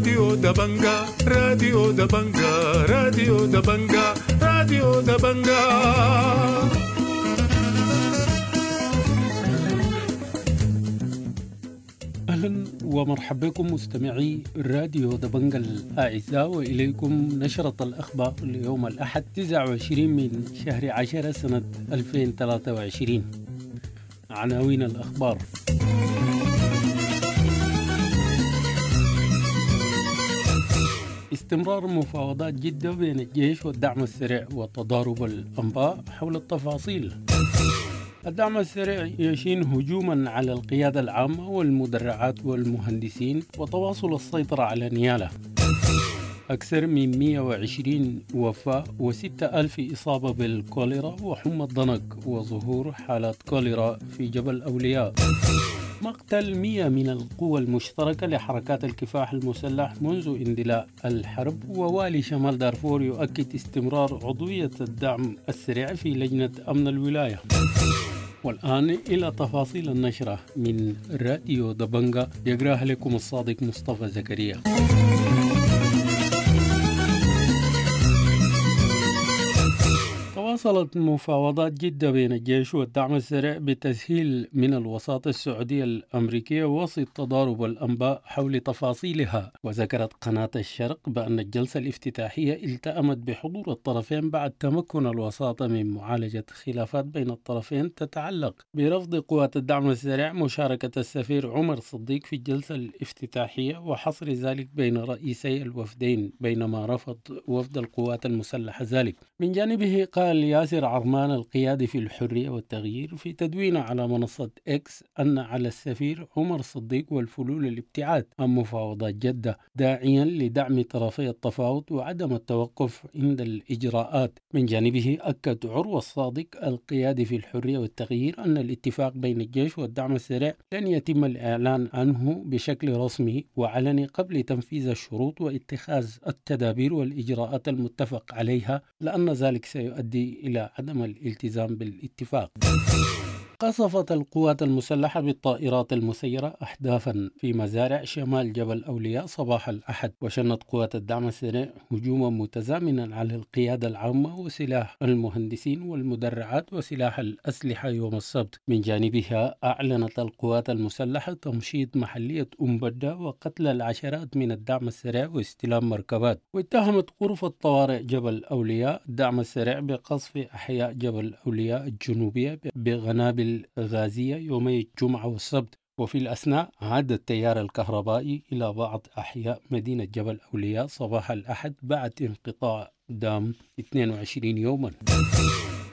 راديو دبنجا، راديو دبنجا، راديو دبنجا، راديو دبنجا. أهلا ومرحبا بكم مستمعي راديو دبنجا الأعزاء، وإليكم نشرة الأخبار ليوم الأحد 29 من شهر 10 سنة 2023. عناوين الأخبار: استمرار مفاوضات جدة بين الجيش والدعم السريع وتضارب الأنباء حول التفاصيل. الدعم السريع يشين هجوما على القيادة العامة والمدرعات والمهندسين وتواصل السيطرة على نيالا. أكثر من 120 وفاة و6,000 إصابة بالكوليرا وحمى الضنك وظهور حالات كوليرا في جبل أولياء. مقتل 100 من القوى المشتركة لحركات الكفاح المسلح منذ اندلاع الحرب. ووالي شمال دارفور يؤكد استمرار عضوية الدعم السريع في لجنة أمن الولاية. والآن إلى تفاصيل النشرة من راديو دبنجا، يقراها لكم الصادق مصطفى زكريا. تواصلت مفاوضات جدة بين الجيش والدعم السريع بتسهيل من الوساطة السعودية الأمريكية وسط تضارب الأنباء حول تفاصيلها. وذكرت قناة الشرق بأن الجلسة الافتتاحية التأمت بحضور الطرفين بعد تمكن الوساطة من معالجة خلافات بين الطرفين تتعلق برفض قوات الدعم السريع مشاركة السفير عمر صديق في الجلسة الافتتاحية وحصر ذلك بين رئيسي الوفدين، بينما رفض وفد القوات المسلحة ذلك. من جانبه قال ياسر عرمان القيادي في الحرية والتغيير في تدوينه على منصة إكس أن على السفير عمر صديق والفلول الابتعاد عن مفاوضات جدة، داعيا لدعم طرفي التفاوض وعدم التوقف عند الإجراءات. من جانبه أكد عروة الصادق القيادي في الحرية والتغيير أن الاتفاق بين الجيش والدعم السريع لن يتم الإعلان عنه بشكل رسمي وعلني قبل تنفيذ الشروط واتخاذ التدابير والإجراءات المتفق عليها، لأن ذلك سيؤدي إلى عدم الالتزام بالاتفاق. قصفت القوات المسلحة بالطائرات المسيرة أهدافا في مزارع شمال جبل أولياء صباح الأحد، وشنت قوات الدعم السريع هجوما متزامنا على القيادة العامة وسلاح المهندسين والمدرعات وسلاح الأسلحة يوم السبت. من جانبها أعلنت القوات المسلحة تمشيط محلية أم بدة وقتل العشرات من الدعم السريع واستلام مركبات. واتهمت غرفة طوارئ جبل أولياء الدعم السريع بقصف أحياء جبل أولياء الجنوبية بغنابل غازية يومي الجمعة والسبت. وفي الأثناء عاد التيار الكهربائي إلى بعض أحياء مدينة جبل أولياء صباح الأحد بعد انقطاع دام 22 يوما.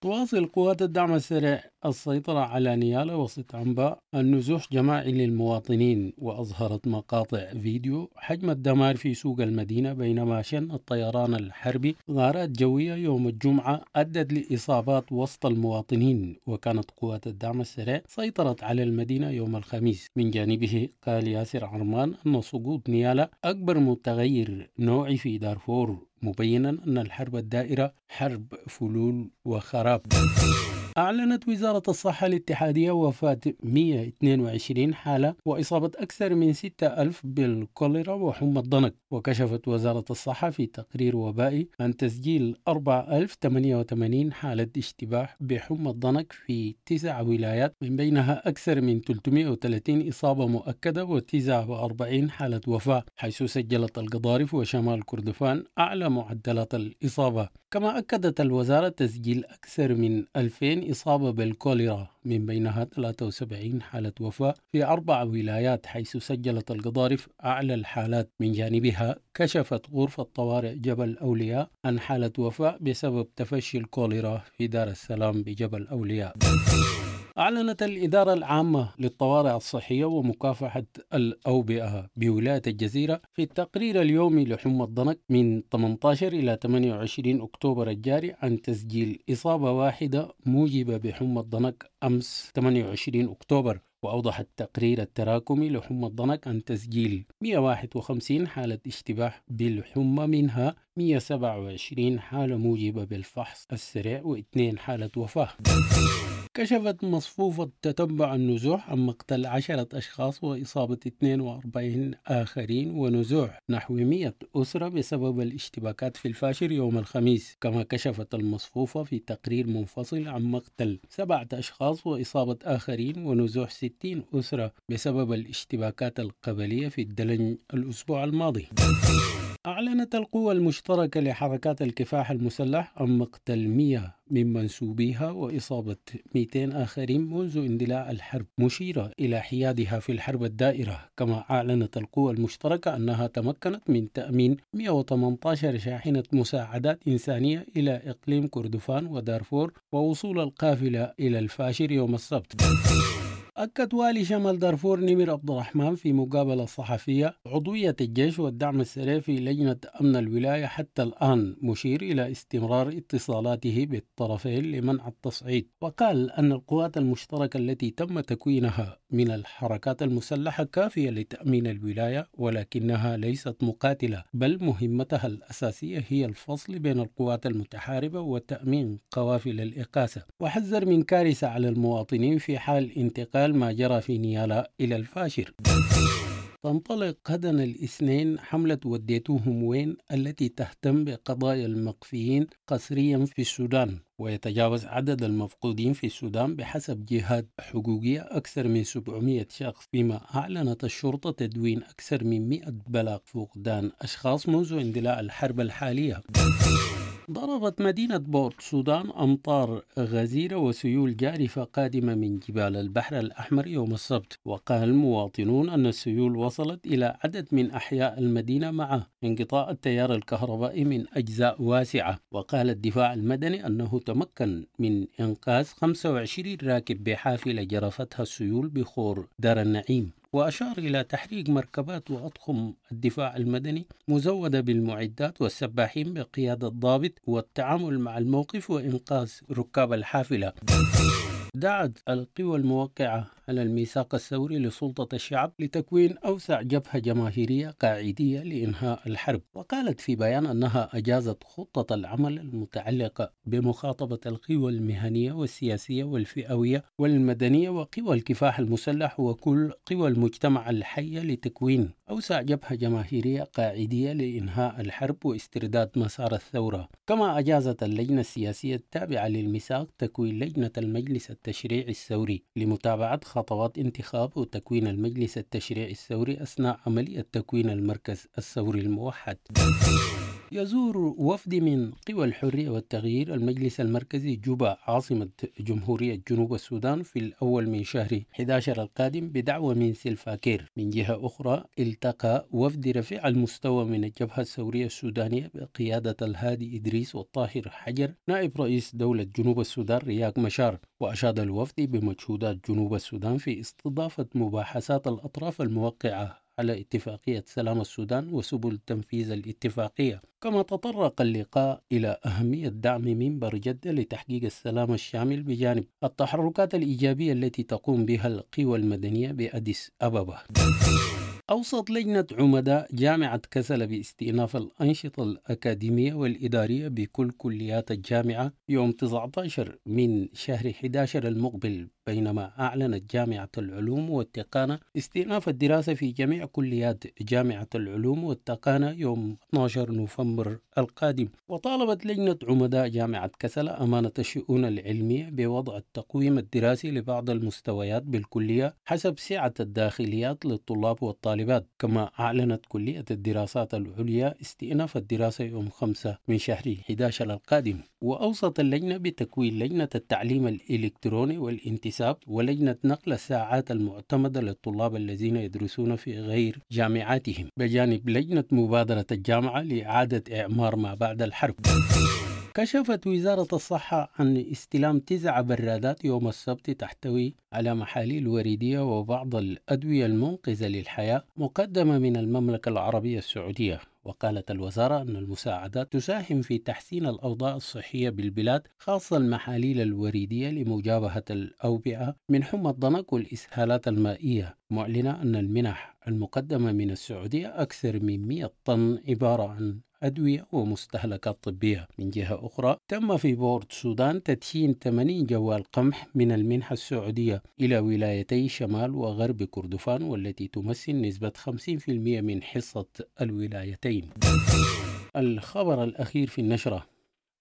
تواصل قوات الدعم السريع السيطرة على نيالا وسط أنباء النزوح جماعي للمواطنين، وأظهرت مقاطع فيديو حجم الدمار في سوق المدينة، بينما شن الطيران الحربي غارات جوية يوم الجمعة أدت لإصابات وسط المواطنين. وكانت قوات الدعم السريع سيطرت على المدينة يوم الخميس. من جانبه قال ياسر عرمان أن سقوط نيالا أكبر متغير نوعي في دارفور، مبينا أن الحرب الدائرة حرب فلول وخراب. أعلنت وزارة الصحة الاتحادية وفاة 122 حالة وإصابة أكثر من 6,000 بالكوليرا وحمى الضنك. وكشفت وزارة الصحة في تقرير وبائي عن تسجيل 4088 حالة اشتباه بحمى الضنك في 9 ولايات، من بينها أكثر من 330 إصابة مؤكدة و49 حالة وفاة، حيث سجلت القضارف وشمال كردفان أعلى معدلات الإصابة. كما أكدت الوزارة تسجيل أكثر من 2000 إصابة بالكوليرا، من بينها 73 حالة وفاة في 4 ولايات، حيث سجلت القضارف أعلى الحالات. من جانبها كشفت غرفة طوارئ جبل أولياء عن حالة وفاة بسبب تفشي الكوليرا في دار السلام بجبل أولياء. أعلنت الإدارة العامة للطوارئ الصحية ومكافحة الأوبئة بولاية الجزيرة في التقرير اليومي لحمى الضنك من 18 إلى 28 أكتوبر الجاري عن تسجيل إصابة واحدة موجبة بحمى الضنك أمس 28 أكتوبر. وأوضح التقرير التراكمي لحمى الضنك عن تسجيل 151 حالة اشتباه بالحمى، منها 127 حالة موجبة بالفحص السريع و2 حالة وفاة. كشفت مصفوفة تتبع النزوح عن مقتل 10 أشخاص وإصابة 42 آخرين ونزوح نحو 100 أسرة بسبب الاشتباكات في الفاشر يوم الخميس. كما كشفت المصفوفة في تقرير منفصل عن مقتل 7 أشخاص وإصابة آخرين ونزوح 60 أسرة بسبب الاشتباكات القبلية في الدلنج الأسبوع الماضي. أعلنت القوى المشتركة لحركات الكفاح المسلح عن مقتل 100 من منسوبيها وإصابة 200 آخرين منذ اندلاع الحرب، مشيرة إلى حيادها في الحرب الدائرة. كما أعلنت القوى المشتركة أنها تمكنت من تأمين 118 شاحنة مساعدات إنسانية إلى إقليم كردفان ودارفور ووصول القافلة إلى الفاشر يوم السبت. أكد والي شمال دارفور نمر عبد الرحمن في مقابلة صحفية عضوية الجيش والدعم السريع في لجنة أمن الولاية حتى الآن، مشير إلى استمرار اتصالاته بالطرفين لمنع التصعيد. وقال أن القوات المشتركة التي تم تكوينها من الحركات المسلحة كافية لتأمين الولاية، ولكنها ليست مقاتلة، بل مهمتها الأساسية هي الفصل بين القوات المتحاربة وتأمين قوافل الإغاثة. وحذر من كارثة على المواطنين في حال انتقال ما جرى في نيالا إلى الفاشر. تنطلق غدا الاثنين حملة وديتوهم وين التي تهتم بقضايا المقفيين قسريا في السودان، ويتجاوز عدد المفقودين في السودان بحسب جهات حقوقية أكثر من 700 شخص، فيما أعلنت الشرطة تدوين أكثر من 100 بلاغ فقدان أشخاص منذ اندلاع الحرب الحالية. ضربت مدينة بورت سودان أمطار غزيرة وسيول جارفة قادمة من جبال البحر الأحمر يوم السبت، وقال المواطنون أن السيول وصلت إلى عدد من أحياء المدينة مع انقطاع التيار الكهربائي من أجزاء واسعة. وقال الدفاع المدني أنه تمكن من إنقاذ 25 راكب بحافلة جرفتها السيول بخور دار النعيم. وأشار إلى تحريك مركبات وأطقم الدفاع المدني مزودة بالمعدات والسباحين بقيادة ضابط والتعامل مع الموقف وإنقاذ ركاب الحافلة. دعت القوى الموقعة على الميثاق الثوري لسلطة الشعب لتكوين أوسع جبهة جماهيرية قاعدية لإنهاء الحرب. وقالت في بيان أنها أجازت خطة العمل المتعلقة بمخاطبة القوى المهنية والسياسية والفئوية والمدنية وقوى الكفاح المسلح وكل قوى المجتمع الحية لتكوين أوسع جبهة جماهيرية قاعدية لإنهاء الحرب واسترداد مسار الثورة. كما أجازت اللجنة السياسية التابعة للميثاق تكوين لجنة المجلس التشريعي الثوري لمتابعة خطوات انتخاب وتكوين المجلس التشريعي الثوري أثناء عملية تكوين المركز الثوري الموحد. يزور وفد من قوى الحرية والتغيير المجلس المركزي جوبا عاصمة جمهورية جنوب السودان في الأول من شهر 11 القادم بدعوة من سلفاكير. من جهة أخرى التقى وفد رفيع المستوى من الجبهة الثورية السودانية بقيادة الهادي إدريس والطاهر حجر نائب رئيس دولة جنوب السودان رياك مشار. وأشاد الوفد بمجهودات جنوب السودان في استضافة مباحثات الأطراف الموقعة على اتفاقية سلام السودان وسبل تنفيذ الاتفاقية. كما تطرق اللقاء إلى أهمية دعم منبر جدة لتحقيق السلام الشامل بجانب التحركات الإيجابية التي تقوم بها القوى المدنية بأديس أبابا. أوصت لجنة عمداء جامعة كسلا باستئناف الأنشطة الأكاديمية والإدارية بكل كليات الجامعة يوم 19 من شهر 11 المقبل، بينما أعلنت جامعة العلوم والتقانة استئناف الدراسة في جميع كليات جامعة العلوم والتقانة يوم 12 نوفمبر القادم. وطالبت لجنة عمداء جامعة كسلا أمانة الشؤون العلمية بوضع التقويم الدراسي لبعض المستويات بالكلية حسب سعة الداخليات للطلاب والطالبات. كما أعلنت كلية الدراسات العليا استئناف الدراسة يوم 5 من شهر 11 القادم. وأوصت اللجنة بتكوين لجنة التعليم الإلكتروني والانتساب ولجنة نقل الساعات المعتمدة للطلاب الذين يدرسون في غير جامعاتهم، بجانب لجنة مبادرة الجامعة لإعادة إعمار ما بعد الحرب. كشفت وزارة الصحة عن استلام 9 برادات يوم السبت تحتوي على محاليل وريدية وبعض الأدوية المنقذة للحياة مقدمة من المملكة العربية السعودية. وقالت الوزارة أن المساعدات تساهم في تحسين الأوضاع الصحية بالبلاد، خاصة المحاليل الوريدية لمجابهة الأوبئة من حمى الضنك والإسهالات المائية، معلنة أن المنح المقدمة من السعودية أكثر من 100 طن عبارة عن أدوية ومستهلكات طبية. من جهة أخرى، تم في بورت السودان تدشين 80 جوال قمح من المنحة السعودية إلى ولايتي شمال وغرب كردفان، والتي تمثل نسبة 50% من حصة الولايتين. الخبر الأخير في النشرة: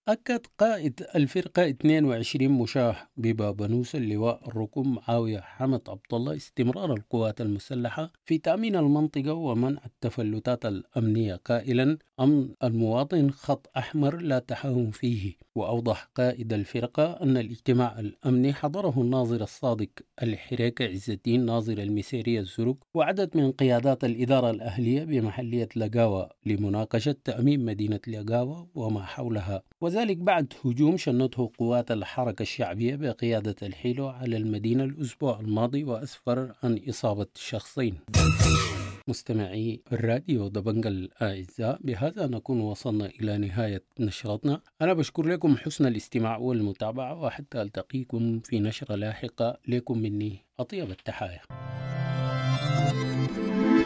أكد قائد الفرقة 22 مشاه ببابنوس اللواء الركن معاوية حمد عبد الله استمرار القوات المسلحة في تأمين المنطقة ومنع التفلتات الأمنية، قائلا: أمن المواطن خط أحمر لا تهاون فيه. وأوضح قائد الفرقة أن الاجتماع الأمني حضره الناظر الصادق الحريكة عز الدين ناظر المسيرية الزرق وعدد من قيادات الإدارة الأهلية بمحلية لقاوة لمناقشة تأمين مدينة لقاوة وما حولها، وذلك بعد هجوم شنته قوات الحركة الشعبية بقيادة الحيلو على المدينة الأسبوع الماضي وأسفر عن إصابة شخصين. مستمعي الراديو دبنجا الأعزاء، بهذا نكون وصلنا إلى نهاية نشرتنا. أنا بشكر لكم حسن الاستماع والمتابعة، وحتى ألتقيكم في نشرة لاحقة. لكم مني أطيب التحايا.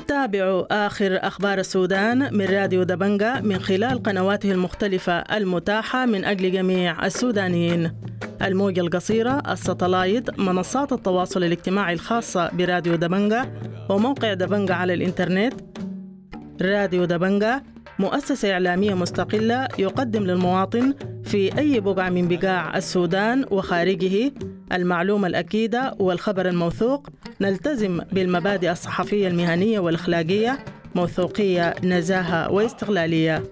تابعوا آخر أخبار السودان من راديو دبنجا من خلال قنواته المختلفة المتاحة من أجل جميع السودانيين: الموجة القصيرة، الستلايت، منصات التواصل الاجتماعي الخاصة براديو دبنجا، وموقع دبنجا على الإنترنت. راديو دبنجا مؤسسة إعلامية مستقلة يقدم للمواطن في أي بقعة من بقاع السودان وخارجه المعلومة الأكيدة والخبر الموثوق. نلتزم بالمبادئ الصحفية المهنية والأخلاقية، موثوقية، نزاهة واستقلالية.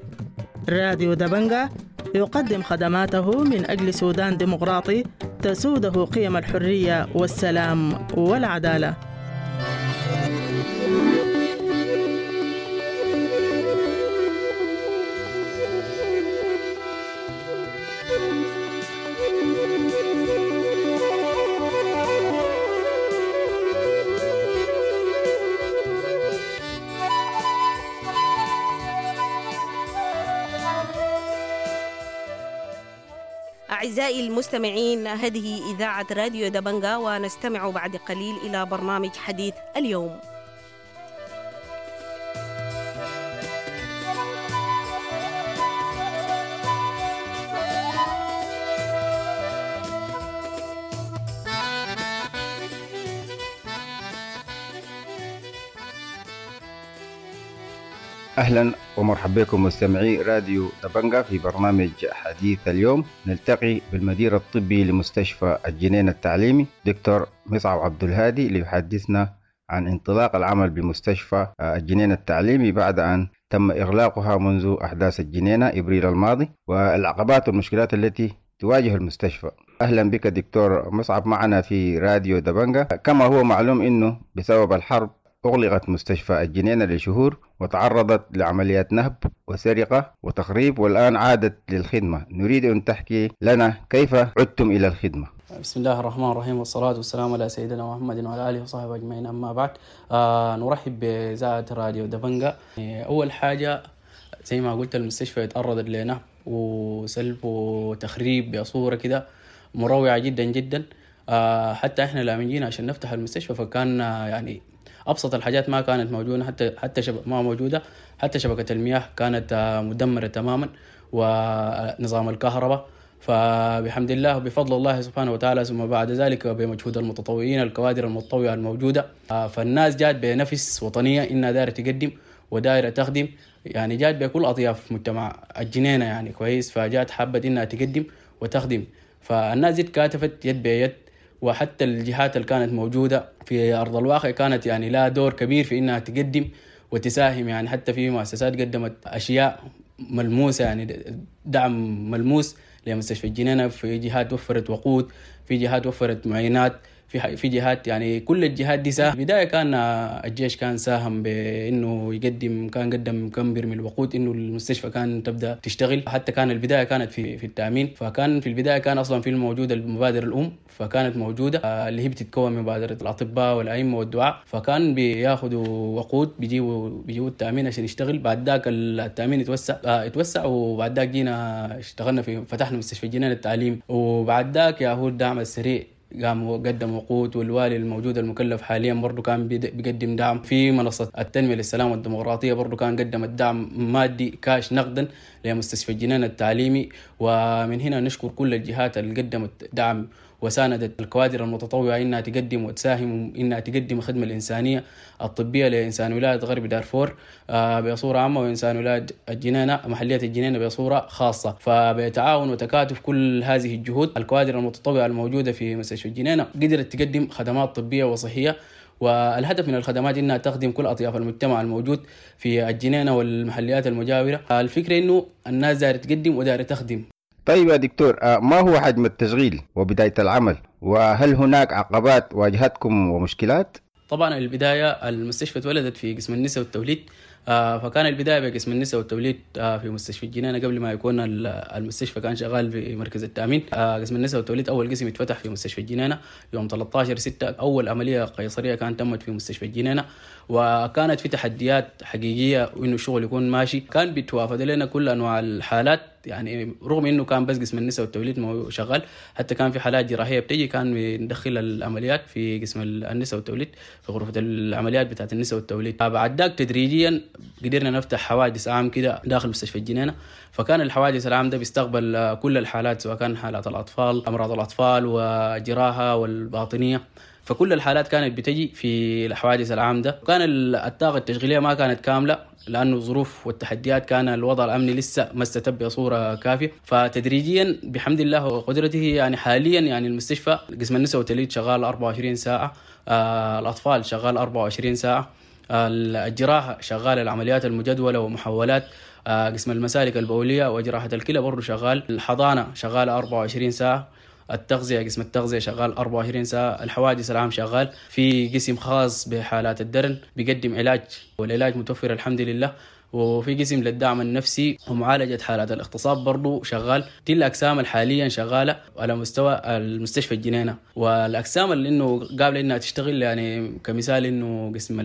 راديو دبنجا يقدم خدماته من أجل سودان ديمقراطي تسوده قيم الحرية والسلام والعدالة. أعزائي المستمعين، هذه إذاعة راديو دبنجا، ونستمع بعد قليل إلى برنامج حديث اليوم. أهلا ومرحبا بكم مستمعي راديو دبنجا في برنامج حديث اليوم. نلتقي بالمدير الطبي لمستشفى الجنينة التعليمي دكتور مصعب عبد الهادي ليحدثنا عن انطلاق العمل بمستشفى الجنينة التعليمي بعد أن تم إغلاقها منذ أحداث الجنينة إبريل الماضي، والعقبات والمشكلات التي تواجه المستشفى. أهلا بك دكتور مصعب معنا في راديو دبنجا. كما هو معلوم أنه بسبب الحرب أغلقت مستشفى الجنينة لشهور وتعرضت لعمليات نهب وسرقة وتخريب، والآن عادت للخدمة. نريد أن تحكي لنا كيف عدتم إلى الخدمة. بسم الله الرحمن الرحيم، والصلاة والسلام على سيدنا محمد وعلى آله وصحبه أجمعين، أما بعد. نرحب بإذاعة راديو دبنجا. أول حاجة زي ما قلت، المستشفى تعرضت لنهب وسلب وتخريب بصورة كده مروعة جدا جدا. حتى إحنا لما جينا عشان نفتح المستشفى فكان يعني أبسط الحاجات ما كانت موجودة، حتى ما موجودة، حتى شبكة المياه كانت مدمرة تماما ونظام الكهرباء. فبحمد الله وبفضل الله سبحانه وتعالى، ثم بعد ذلك بمجهود المتطوعين، الكوادر المتطوعة الموجودة، فالناس جات بنفس وطنية إنها دايرة تقدم ودايرة تخدم، يعني جات بكل أطياف مجتمع الجنينة يعني كويس، فجات حابة إنها تقدم وتخدم. فالناس دي تكاتفت يد بيد، وحتى الجهات اللي كانت موجودة في أرض الواقع كانت يعني لها دور كبير في إنها تقدم وتساهم. يعني حتى في مؤسسات قدمت أشياء ملموسة، يعني دعم ملموس لمستشفى الجنينة. في جهات وفرت وقود، في جهات وفرت معينات، في جهات، يعني كل الجهات دي ساهم. بداية كان الجيش كان ساهم بأنه يقدم، كان قدم كم برميل وقود إنه المستشفى كان تبدأ تشتغل. حتى كان البداية كانت في التأمين، فكان في البداية كان أصلا في الموجودة المبادرة الأم، فكانت موجودة اللي هي بتتكون من مبادرة الأطباء والأئمة والدعاء، فكان بياخدوا وقود بيجيبوا التأمين عشان يشتغل. بعد ذاك التأمين اتوسع، وبعد ذاك جينا اشتغلنا في فتحنا مستشفى الجنينة التعليم، وبعد ذاك يا هو الدعم السريع قام وقدم وقود، والوالي الموجود المكلف حاليا برضو كان بيقدم دعم. في منصة التنمية للسلام والديمقراطية برضو كان قدم الدعم مادي كاش نقدا لمستشفى الجنينة التعليمي. ومن هنا نشكر كل الجهات اللي قدمت دعم وساندت الكوادر المتطوعة إنها تقدم وتساهم إنها تقدم الخدمة الإنسانية الطبية لإنسان ولاية غرب دارفور بصورة عامة، وإنسان ولاية الجنينة محلية الجنينة بصورة خاصة. فبتعاون وتكاتف كل هذه الجهود الكوادر المتطوعة الموجودة في مستشفى الجنينة قدرت تقدم خدمات طبية وصحية، والهدف من الخدمات إنها تخدم كل أطياف المجتمع الموجود في الجنينة والمحليات المجاورة. الفكرة إنه الناس دايرة تقدم ودايرة تخدم. طيب يا دكتور، ما هو حجم التشغيل وبداية العمل؟ وهل هناك عقبات واجهتكم ومشكلات؟ طبعا البداية المستشفى اتولدت في قسم النساء والتوليد، فكان البداية بقسم النساء والتوليد في مستشفى الجنينة قبل ما يكون المستشفى كان شغال في مركز التأمين. قسم النساء والتوليد أول قسم اتفتح في مستشفى الجنينة يوم 13/6، أول عملية قيصرية كانت تمت في مستشفى الجنينة، وكانت في تحديات حقيقية وإنه الشغل يكون ماشي. كان بيتوافد لنا كل أنواع الحالات، يعني رغم إنه كان بس قسم النساء والتوليد ما شغال، حتى كان في حالات جراحية بتجي كان بندخل العمليات في قسم النساء والتوليد في غرفة العمليات بتاعت النساء والتوليد. بعد ذاك تدريجيا قدرنا نفتح حوادث عام كده داخل مستشفى الجنينة، فكان الحوادث العام ده بيستقبل كل الحالات، سواء كان حالات الأطفال، أمراض الأطفال وجراحة والباطنية، فكل الحالات كانت بتجي في الحوادث العام ده. وكان الطاقة التشغيلية ما كانت كاملة لأنه الظروف والتحديات كان الوضع الأمني لسه ما استتب بصورة كافية. فتدريجيا بحمد الله وقدرته يعني حاليا يعني المستشفى قسم النساء والتوليد شغال 24 ساعة، الأطفال شغال 24 ساعة، الجراحة شغال العمليات المجدولة ومحولات، قسم المسالك البولية وجراحة الكلى برضو شغال، الحضانة شغالة 24 ساعة، التغذية قسم التغذية شغال 24 ساعة، الحوادث العام شغال، في قسم خاص بحالات الدرن بيقدم علاج والعلاج متوفر الحمد لله، وفي قسم للدعم النفسي ومعالجة حالات الاغتصاب برضو شغال. دي الأقسام الحاليا شغالة على مستوى المستشفى الجنينة. والأقسام اللي إنه قابلة إنها تشتغل يعني كمثال إنه قسم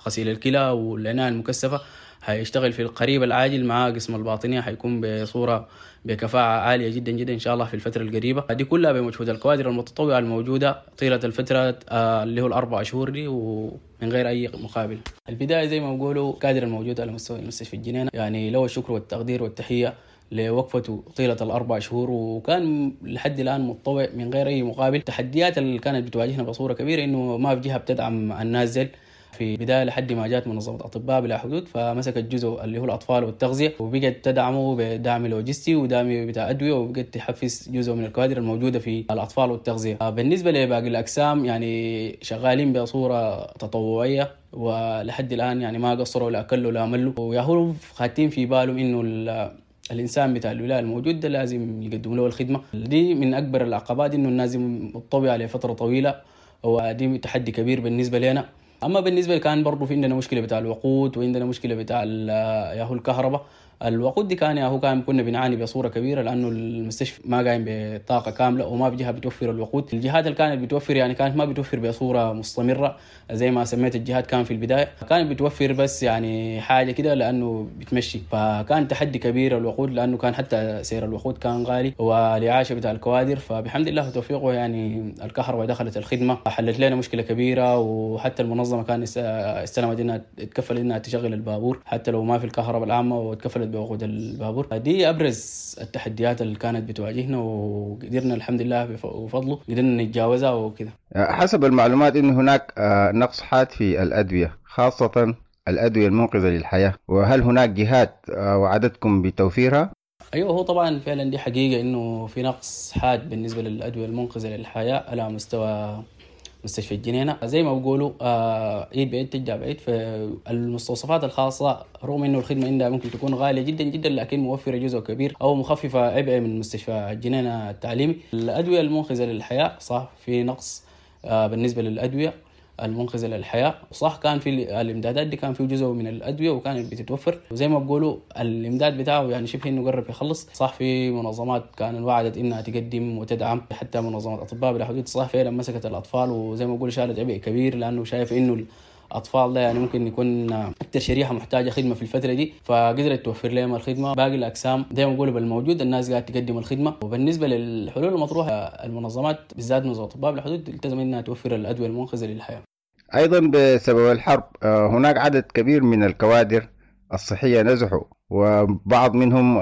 غسيل الكلى والعناية المكثفة هيشتغل في القريب العاجل مع قسم الباطنية، هيكون بصورة بكفاءة عالية جدا جدا إن شاء الله في الفترة القريبة دي، كلها بمجهود الكوادر المتطوعة الموجودة طيلة الفترة اللي هو 4 شهور دي ومن غير أي مقابل. البداية زي ما بقولوا كادر الموجود على مستوى المستشفى الجنينة يعني له الشكر والتقدير والتحية لوقفته طيلة 4 شهور، وكان لحد الآن متطوع من غير أي مقابل. التحديات اللي كانت بتواجهنا بصورة كبيرة إنه ما في جهة بتدعم النازل في بداية لحد ما جات منظمة أطباء بلا حدود، فمسكت جزء اللي هو الأطفال والتغذية وبقت تدعمه بدعم لوجستي ودعم بتاع أدوية، وبقت تحفز جزء من الكوادر الموجودة في الأطفال والتغذية. بالنسبة لباقي الأقسام يعني شغالين بصورة تطوعية ولحد الآن يعني ما قصروا لا أكلوا لا ملوا، وياهو خاتين في بالهم إنه الإنسان بتاع الولاية الموجود ده لازم يقدم له الخدمة دي. من أكبر العقبات إنه الناس متطوعة لفترة طويلة، ودي تحدي كبير بالنسبة لنا. أما بالنسبة كان برضو في عندنا مشكلة بتاع الوقود، وعندنا مشكلة بتاع ياهو الكهرباء. الوقود دي كان ياهو كان كنا بنعاني بصورة كبيرة لأنه المستشفى ما قايم بطاقة كاملة وما في جهة بتوفر الوقود. الجهات اللي كانت بتوفر يعني كانت ما بتوفر بصورة مستمرة زي ما سميت الجهات، كان في البداية كانت بتوفر بس يعني حاجة كده لأنه بتمشي، فكان تحدي كبير الوقود لأنه كان حتى سعر الوقود كان غالي والإعاشة بتاع الكوادر. فبحمد الله وتوفيقه يعني الكهرباء دخلت الخدمة حلت لنا مشكلة كبيرة، وحتى المنظمة كان استلمت إنها تكفل إنها تشغل البابور حتى لو ما في الكهرباء العامة، وتكفلت بوقود البابور. دي أبرز التحديات اللي كانت بتواجهنا، وقدرنا الحمد لله وفضله قدرنا نتجاوزها وكذا. حسب المعلومات إن هناك نقص حاد في الأدوية، خاصة الأدوية المنقذة للحياة، وهل هناك جهات وعدتكم بتوفيرها؟ أيوه، هو طبعا فعلا دي حقيقة إنه في نقص حاد بالنسبة للأدوية المنقذة للحياة على مستوى مستشفى الجنينة. زي ما بقولوا عيد بعيد تجدع بعيد. فالمستوصفات الخاصة رغم إنه الخدمة عندها ممكن تكون غالية جدا جدا، لكن موفرة جزء كبير أو مخففة عبء من مستشفى الجنينة التعليمي. الأدوية المنقذة للحياة صح في نقص بالنسبة للأدوية المنقذة للحياة، صح كان في الإمدادات دي كان في جزء من الأدوية وكانت بتتوفر، وزي ما بقولوا الإمداد بتاعه يعني شبه إنه قرب يخلص. صح في منظمات كان وعدت إنها تقدم وتدعم، حتى منظمة أطباء بلا حدود صح فعلا مسكت الأطفال وزي ما بقولوا شالت عبء كبير، لأنه شايف إنه الاطفال ده يعني ممكن يكون اكثر شريحة محتاجه خدمة في الفترة دي، فقدرت توفر لهم الخدمة. باقي الاقسام زي ما بيقولوا بالموجود الناس قاعدة تقدم الخدمة. وبالنسبة للحلول المطروحة، المنظمات بالذات منظمة اطباء بلا حدود التزم انها توفر الادوية المنقذه للحياة. أيضا بسبب الحرب هناك عدد كبير من الكوادر الصحية نزحوا، وبعض منهم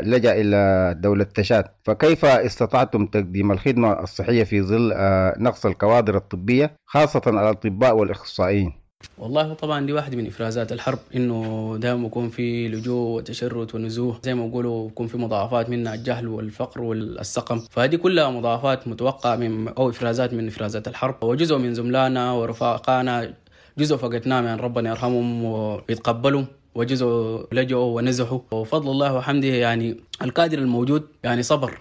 لجأ إلى دولة تشاد، فكيف استطعتم تقديم الخدمة الصحية في ظل نقص الكوادر الطبية خاصة الأطباء والإخصائيين؟ والله طبعا دي واحدة من إفرازات الحرب، إنه دائما يكون في لجوء وتشرد ونزوح، زي ما بيقولوا يكون في مضاعفات منها الجهل والفقر والسقم، فهذه كلها مضاعفات متوقعة من أو إفرازات من إفرازات الحرب. وجزء من زملائنا ورفاقنا جزء فقدناه يعني ربنا يرحمهم ويتقبلهم، وجزء لجؤوا ونزحوا. وفضل الله وحمده يعني الكادر الموجود يعني صبر،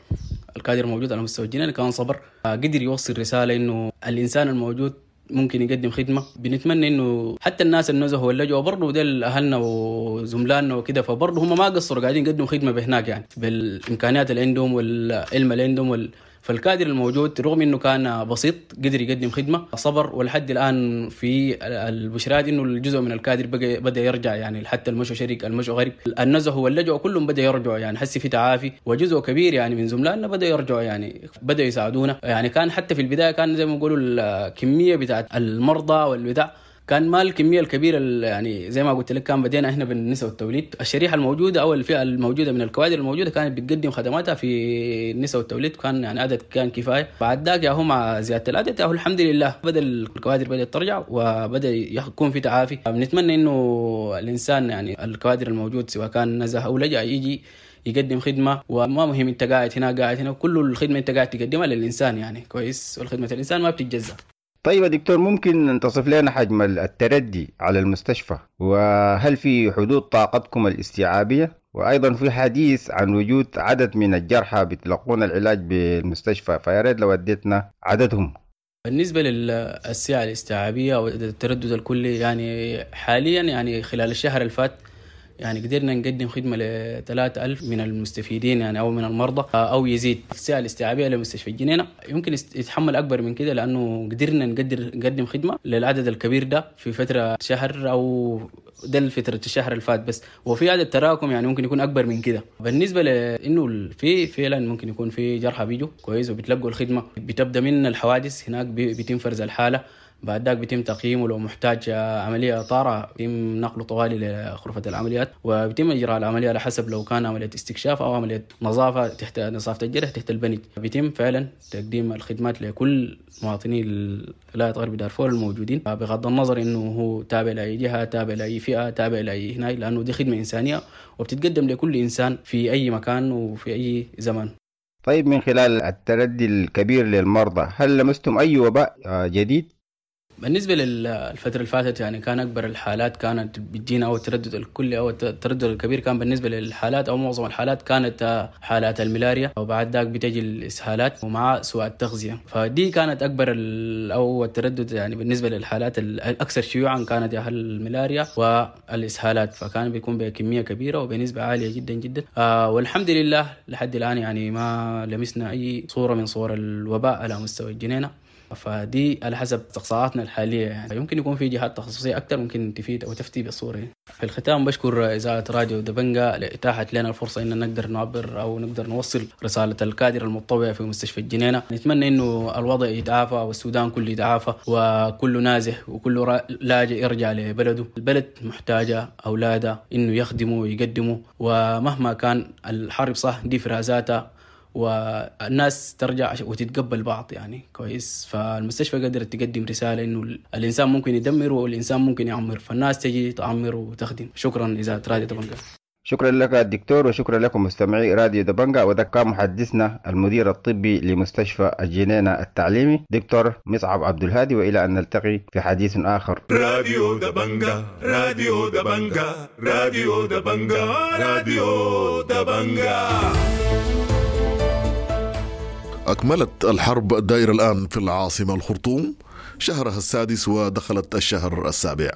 الكادر الموجود على مستوى الجنينة كان صبر، قدر يوصل رسالة إنه الإنسان الموجود ممكن يقدم خدمة. بنتمنى إنه حتى الناس النزهوا واللجوا برضو ديل أهلنا وزملائنا وكده، فبرضو هم ما قصروا قاعدين يقدموا خدمة بهناك يعني بالإمكانيات اللي عندهم والعلم اللي عندهم فالكادر الموجود رغم انه كان بسيط قدر يقدم خدمة، صبر. ولحد الان في البشرات انه الجزء من الكادر بدا يرجع، يعني حتى المشو شريك المشو غريب النزه واللجؤ كلهم بدا يرجعوا، يعني حسي في تعافي، وجزء كبير يعني من زملائنا بدا يرجعوا، يعني بدا يساعدونا. يعني كان حتى في البداية كان زي ما بيقولوا الكمية بتاعت المرضى والبتاع كان ما الكمية الكبيرة، يعني زي ما قلت لك كان بدينا احنا بالنساء والتوليد، الشريحة الموجودة او الفئة الموجودة من الكوادر الموجودة كانت بتقدم خدماتها في النساء والتوليد، كان يعني عدد كان كفاية. بعد ذاك يا هو مع زيادة العدد يا هو الحمد لله بدا الكوادر بدات ترجع وبدا يكون في تعافي. بنتمنى انه الانسان يعني الكوادر الموجود سواء كان نزه او لجأ يجي يقدم خدمة، وما مهم انت قاعد هنا قاعد هنا، كل الخدمة انت قاعد تقدمها للانسان يعني كويس، والخدمة الانسان ما بتتجزأ. طيب يا دكتور، ممكن تصف لنا حجم التردي على المستشفى، وهل في حدود طاقتكم الاستيعابية؟ وأيضا في حديث عن وجود عدد من الجرحى بيتلقون العلاج بالمستشفى، فيا ريت لو اديتنا عددهم. بالنسبة للسعة الاستيعابية أو التردد الكلي، يعني حاليا يعني خلال الشهر الفات يعني قدرنا نقدم خدمة ل 3000 من المستفيدين يعني أو من المرضى أو يزيد. السعة الاستيعابية لمستشفى الجنينة يمكن يتحمل أكبر من كده، لأنه قدرنا نقدم خدمة للعدد الكبير ده في فترة شهر أو ده فترة الشهر الفات بس، وفي عدد تراكم يعني ممكن يكون أكبر من كده. بالنسبة لأنه في فعلا ممكن يكون في جرحى بيجوا كويس وبتلقوا الخدمة، بتبدأ من الحوادث هناك بيتم فرز الحالة، بعد ذاك بيتم تقييمه، لو محتاج عملية طارئة بيتم نقله طوالي لغرفة العمليات، وبيتم إجراء العملية على حسب لو كان عملية استكشاف أو عملية نظافة تحت نظافة الجرح تحت البنج. بيتم فعلا تقديم الخدمات لكل مواطني ولاية غرب دارفور الموجودين، بغض النظر إنه هو تابع لأي جهة، تابع لأي فئة، تابع لأي هناك، لأنه دي خدمة إنسانية وبتتقدم لكل إنسان في أي مكان وفي أي زمان. طيب، من خلال التردي الكبير للمرضى، هل لمستم أي وباء جديد؟ بالنسبة للفترة اللي فاتت يعني كان أكبر الحالات كانت بتجينا أو التردد الكلي أو التردد الكبير كان بالنسبة للحالات أو معظم الحالات كانت حالات الملاريا، وبعد ذاك بتجي الإسهالات ومع سوء التغذية، فدي كانت أكبر أو التردد يعني بالنسبة للحالات الأكثر شيوعا كانت يا الملاريا والإسهالات، فكان بيكون بكمية كبيرة وبنسبة عالية جدا جدا. والحمد لله لحد الآن يعني ما لمسنا أي صورة من صور الوباء على مستوى الجنينة، فدي على حسب استقصاءاتنا الحالية يعني يمكن يكون في جهات تخصصية أكثر ممكن تفيد أو تفتي بالصورة. في الختام بشكر إذاعة راديو دبنجا لإتاحة لنا الفرصة إن نقدر نعبر أو نقدر نوصل رسالة الكادر المتطوع في مستشفى الجنينة. نتمنى إنه الوضع يتعافى والسودان كله يتعافى، وكل نازح وكل لاجئ يرجع لبلده. البلد محتاجة أولاده إنه يخدموا ويقدموا، ومهما كان الحرب صح دي فرازاتها والناس ترجع وتتقبل بعض يعني كويس. فالمستشفى قدرت تقدم رسالة إنه الإنسان ممكن يدمر والإنسان ممكن يعمر، فالناس تجي تعمر وتخدم. شكرا إذاعة راديو دبنجا. شكرا لك الدكتور، وشكرا لكم مستمعي راديو دبنجا. وده كان محدثنا المدير الطبي لمستشفى الجنينة التعليمي دكتور مصعب عبد الهادي، وإلى أن نلتقي في حديث آخر. راديو دبنجا، راديو دبنجا، راديو دبنجا، راديو دبنجا. أكملت الحرب الدائرة الآن في العاصمة الخرطوم شهرها السادس ودخلت الشهر السابع.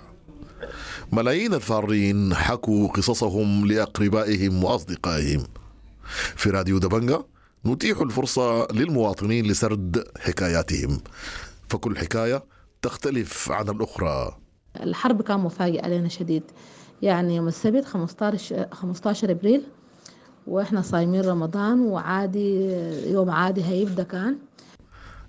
ملايين الفارين حكوا قصصهم لأقربائهم وأصدقائهم. في راديو دبنجا نتيح الفرصة للمواطنين لسرد حكاياتهم، فكل حكاية تختلف عن الأخرى. الحرب كان مفاجئ علينا شديد. يعني يوم السبت 15 ابريل واحنا صايمين رمضان، وعادي يوم عادي هيبدا كان.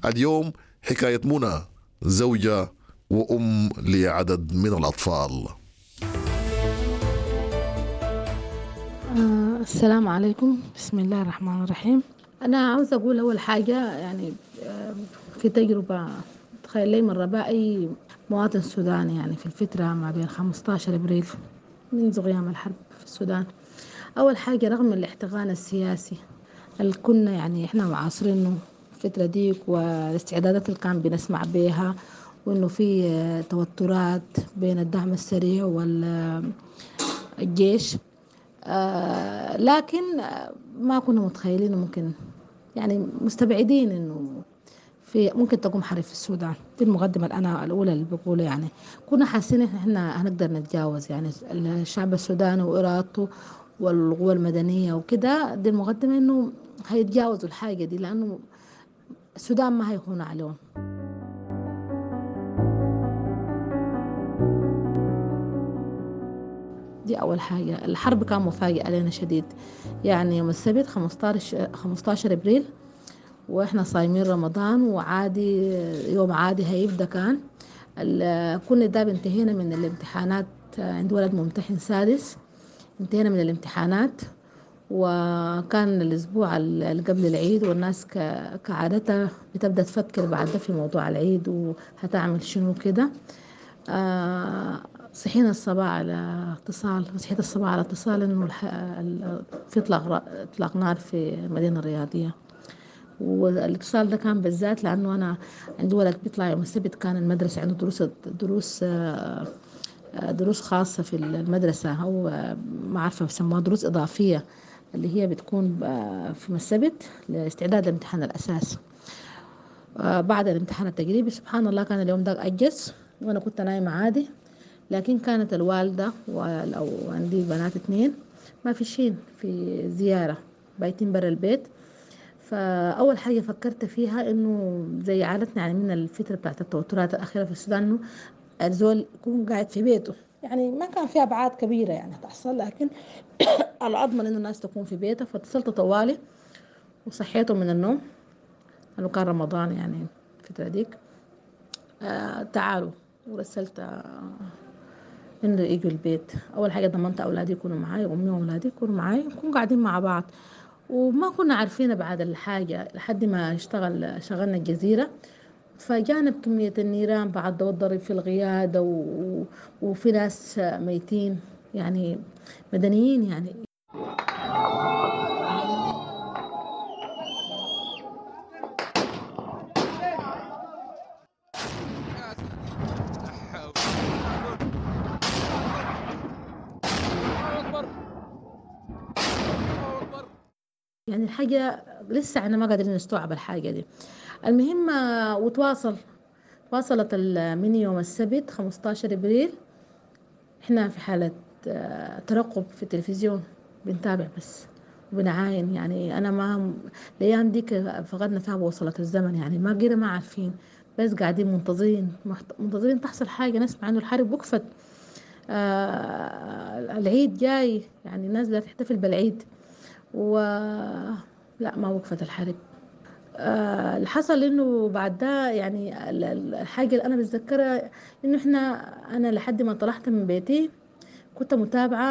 اليوم حكاية منى، زوجة وأم لعدد من الأطفال. السلام عليكم، بسم الله الرحمن الرحيم. أنا عاوزة أقول أول حاجة، يعني في تجربة تخيل لي من رباء أي مواطن سوداني يعني في الفترة ما بين 15 أبريل منذ قيام الحرب في السودان. أول حاجة رغم الاحتقان السياسي اللي كنا يعني إحنا معاصرينه الفترة ديك والاستعدادات اللي كان بنسمع بيها، وإنه في توترات بين الدعم السريع والجيش، لكن ما كنا متخيلين ممكن يعني مستبعدين إنه في ممكن تقوم حرب في السودان. دي المقدمة الأنا الأولى اللي بقولها، يعني كنا حاسين إن إحنا هنقدر نتجاوز يعني الشعب السوداني وإرادته والقوى المدنية وكده. دي المقدمة إنه هيتجاوزوا الحاجة دي، لأنه السودان ما هيهون عليهم. دي أول حاجة. الحرب كان مفاجئ علينا شديد. يعني يوم السبت 15 أبريل وإحنا صايمين رمضان، وعادي يوم عادي هيبدأ كان. كنا داب انتهينا من الامتحانات، عند ولد ممتحن سادس، انتهينا من الامتحانات، وكان الأسبوع اللي قبل العيد، والناس كعادتها بتبدأ تفكر بعد ده في موضوع العيد وهتعمل شنو كده. صحينا الصباح على اتصال، صحيت الصباح على اتصال إنه في إطلاق نار في المدينة الرياضية. والاتصال ده كان بالذات لأنه أنا عندي ولد بيطلع يوم السبت، كان المدرسة عنده دروس خاصة في المدرسة، أو ما عارفة بيسموها دروس إضافية، اللي هي بتكون في السبت لاستعداد لامتحان الأساس. بعد الامتحان التجريبي سبحان الله كان اليوم ده أجز، وأنا كنت نايمة عادي، لكن كانت الوالدة وعندي بنات 2 ما فيشين في زيارة، بايتين برا البيت. فأول حاجة فكرت فيها إنه زي عادتنا يعني من الفترة بتاعت التوترات الأخيرة في السودان، إنه الزول يكون قاعد في بيته، يعني ما كان في أبعاد كبيرة يعني تحصل، لكن الأضمن إنه الناس تكون في بيتها. فاتصلت طوالي وصحيته من النوم، لأنه كان رمضان يعني الفترة ديك. تعالوا، ورسلت إنه يجوا البيت. أول حاجة ضمنت أولادي يكونوا معاي، وأمي وأولادي يكونوا معاي، نكون قاعدين مع بعض. وما كنا عارفين بعد الحاجة لحد ما شغلنا الجزيرة، فجانا بكمية النيران بعد والضرب في الغيادة وفي ناس ميتين يعني مدنيين يعني. يعني الحاجة لسه احنا ما قادرين نستوعب الحاجة دي. المهم وتواصلت من يوم السبت 15 ابريل احنا في حالة ترقب في التلفزيون، بنتابع بس وبنعاين. يعني انا ما الايام ديك فقدنا فيها بوصلة الزمن، يعني ما قينا ما عارفين، بس قاعدين منتظرين تحصل حاجة، نسمع انه الحرب وقفت، العيد جاي، يعني الناس لا تحتفل بالعيد، و لا ما وقفت الحرب. اللي حصل انه بعد ده يعني الحاجة اللي انا بتذكرها انه انا لحد ما طلعت من بيتي كنت متابعه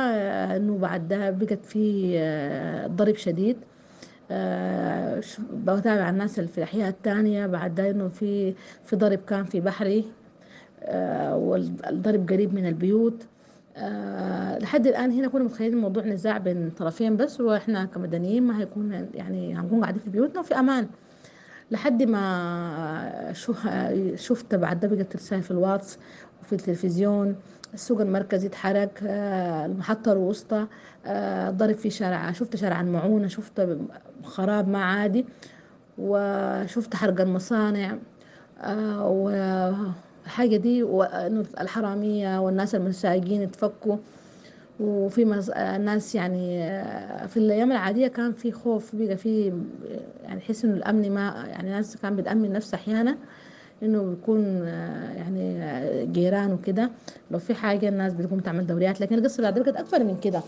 انه بعد ده بقت في ضرب شديد. بتابع الناس اللي في الاحياء الثانية بعد ده انه في ضرب كان في بحري، والضرب قريب من البيوت. لحد الآن هنا كنا متخيلين الموضوع نزاع بين طرفين بس، وإحنا كمدنيين ما هيكون يعني هنكون قاعدين في بيوتنا وفي أمان. لحد ما شفت بعد ده بقت رسائل في الواتس وفي التلفزيون، السوق المركزي اتحرك، المحطة الوسطى، ضرب في شارع، شفت شارع المعونة، شفت خراب ما عادي، وشفت حرق المصانع، والحاجة دي، وإنه الحرامية والناس المساجين اتفكوا، وفي ناس يعني في الأيام العادية كان في خوف، بقى في يعني حس إنه الأمن ما يعني ناس كان بتأمن نفسها أحيانا إنه بيكون يعني الجيران وكده، لو في حاجة الناس بتقوم تعمل دوريات، لكن القصة بعد بقت أكبر من كده.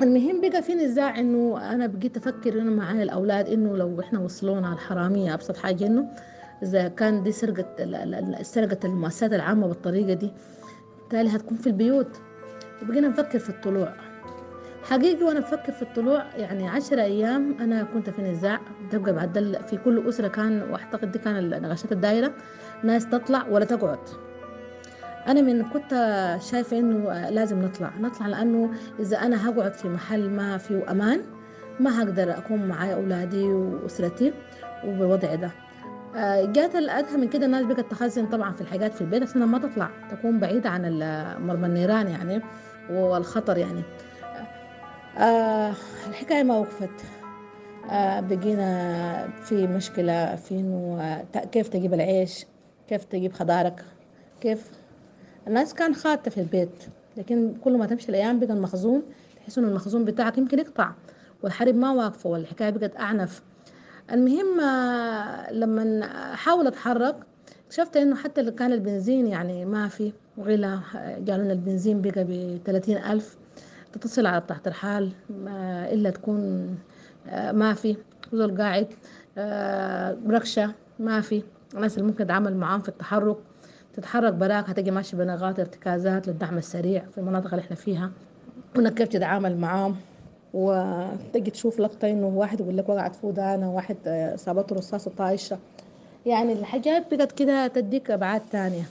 المهم بقى في نزاع انه انا بقيت افكر انه معايا الاولاد انه لو احنا وصلونا الحرامية ابسط حاجة انه اذا كان دي سرقه المؤسسات العامة بالطريقة دي، بالتالي هتكون في البيوت. وبقينا نفكر في الطلوع حقيقي. وانا بفكر في الطلوع يعني 10 ايام انا كنت في نزاع تبقى بعد في كل اسره كان، واعتقد دي كان النقاشات الدايرة، ناس تطلع ولا تقعد. أنا من كنت شايفة إنه لازم نطلع لأنه إذا أنا هقعد في محل ما فيه أمان ما هقدر أكون معايا أولادي وأسرتي وبالوضع ده. جات الأدهى من كده الناس بقت تخزن طبعا في الحاجات في البيت عشان ما تطلع، تكون بعيدة عن مرمى النيران يعني والخطر يعني. الحكاية ما وقفت، بقينا في مشكلة في إنه كيف تجيب العيش، كيف تجيب خضارك، كيف الناس كان خاطة في البيت، لكن كل ما تمشي الأيام بقى المخزون تحس إنه المخزون بتاعك يمكن يقطع، والحرب ما واقفة والحكاية بقت أعنف. المهم لما حاول أتحرك اكتشفت إنه حتى اللي كان البنزين يعني ما في، وغلا، قالوا البنزين بقى ب30,000، تتصل على تحت الحال إلا تكون ما في زول قاعد، ركشة ما في، الناس اللي ممكن تتعامل معاهم في التحرك، تتحرك براك هتجي ماشي بنغات ارتكازات للدعم السريع في المناطق اللي احنا فيها، وانك كيف تتعامل معاهم. وتجي تشوف لقطة انه واحد يقول لك وقعت في ودانه، واحد صابته رصاصة طايشة، يعني الحاجات بقت كده تديك ابعاد تانية.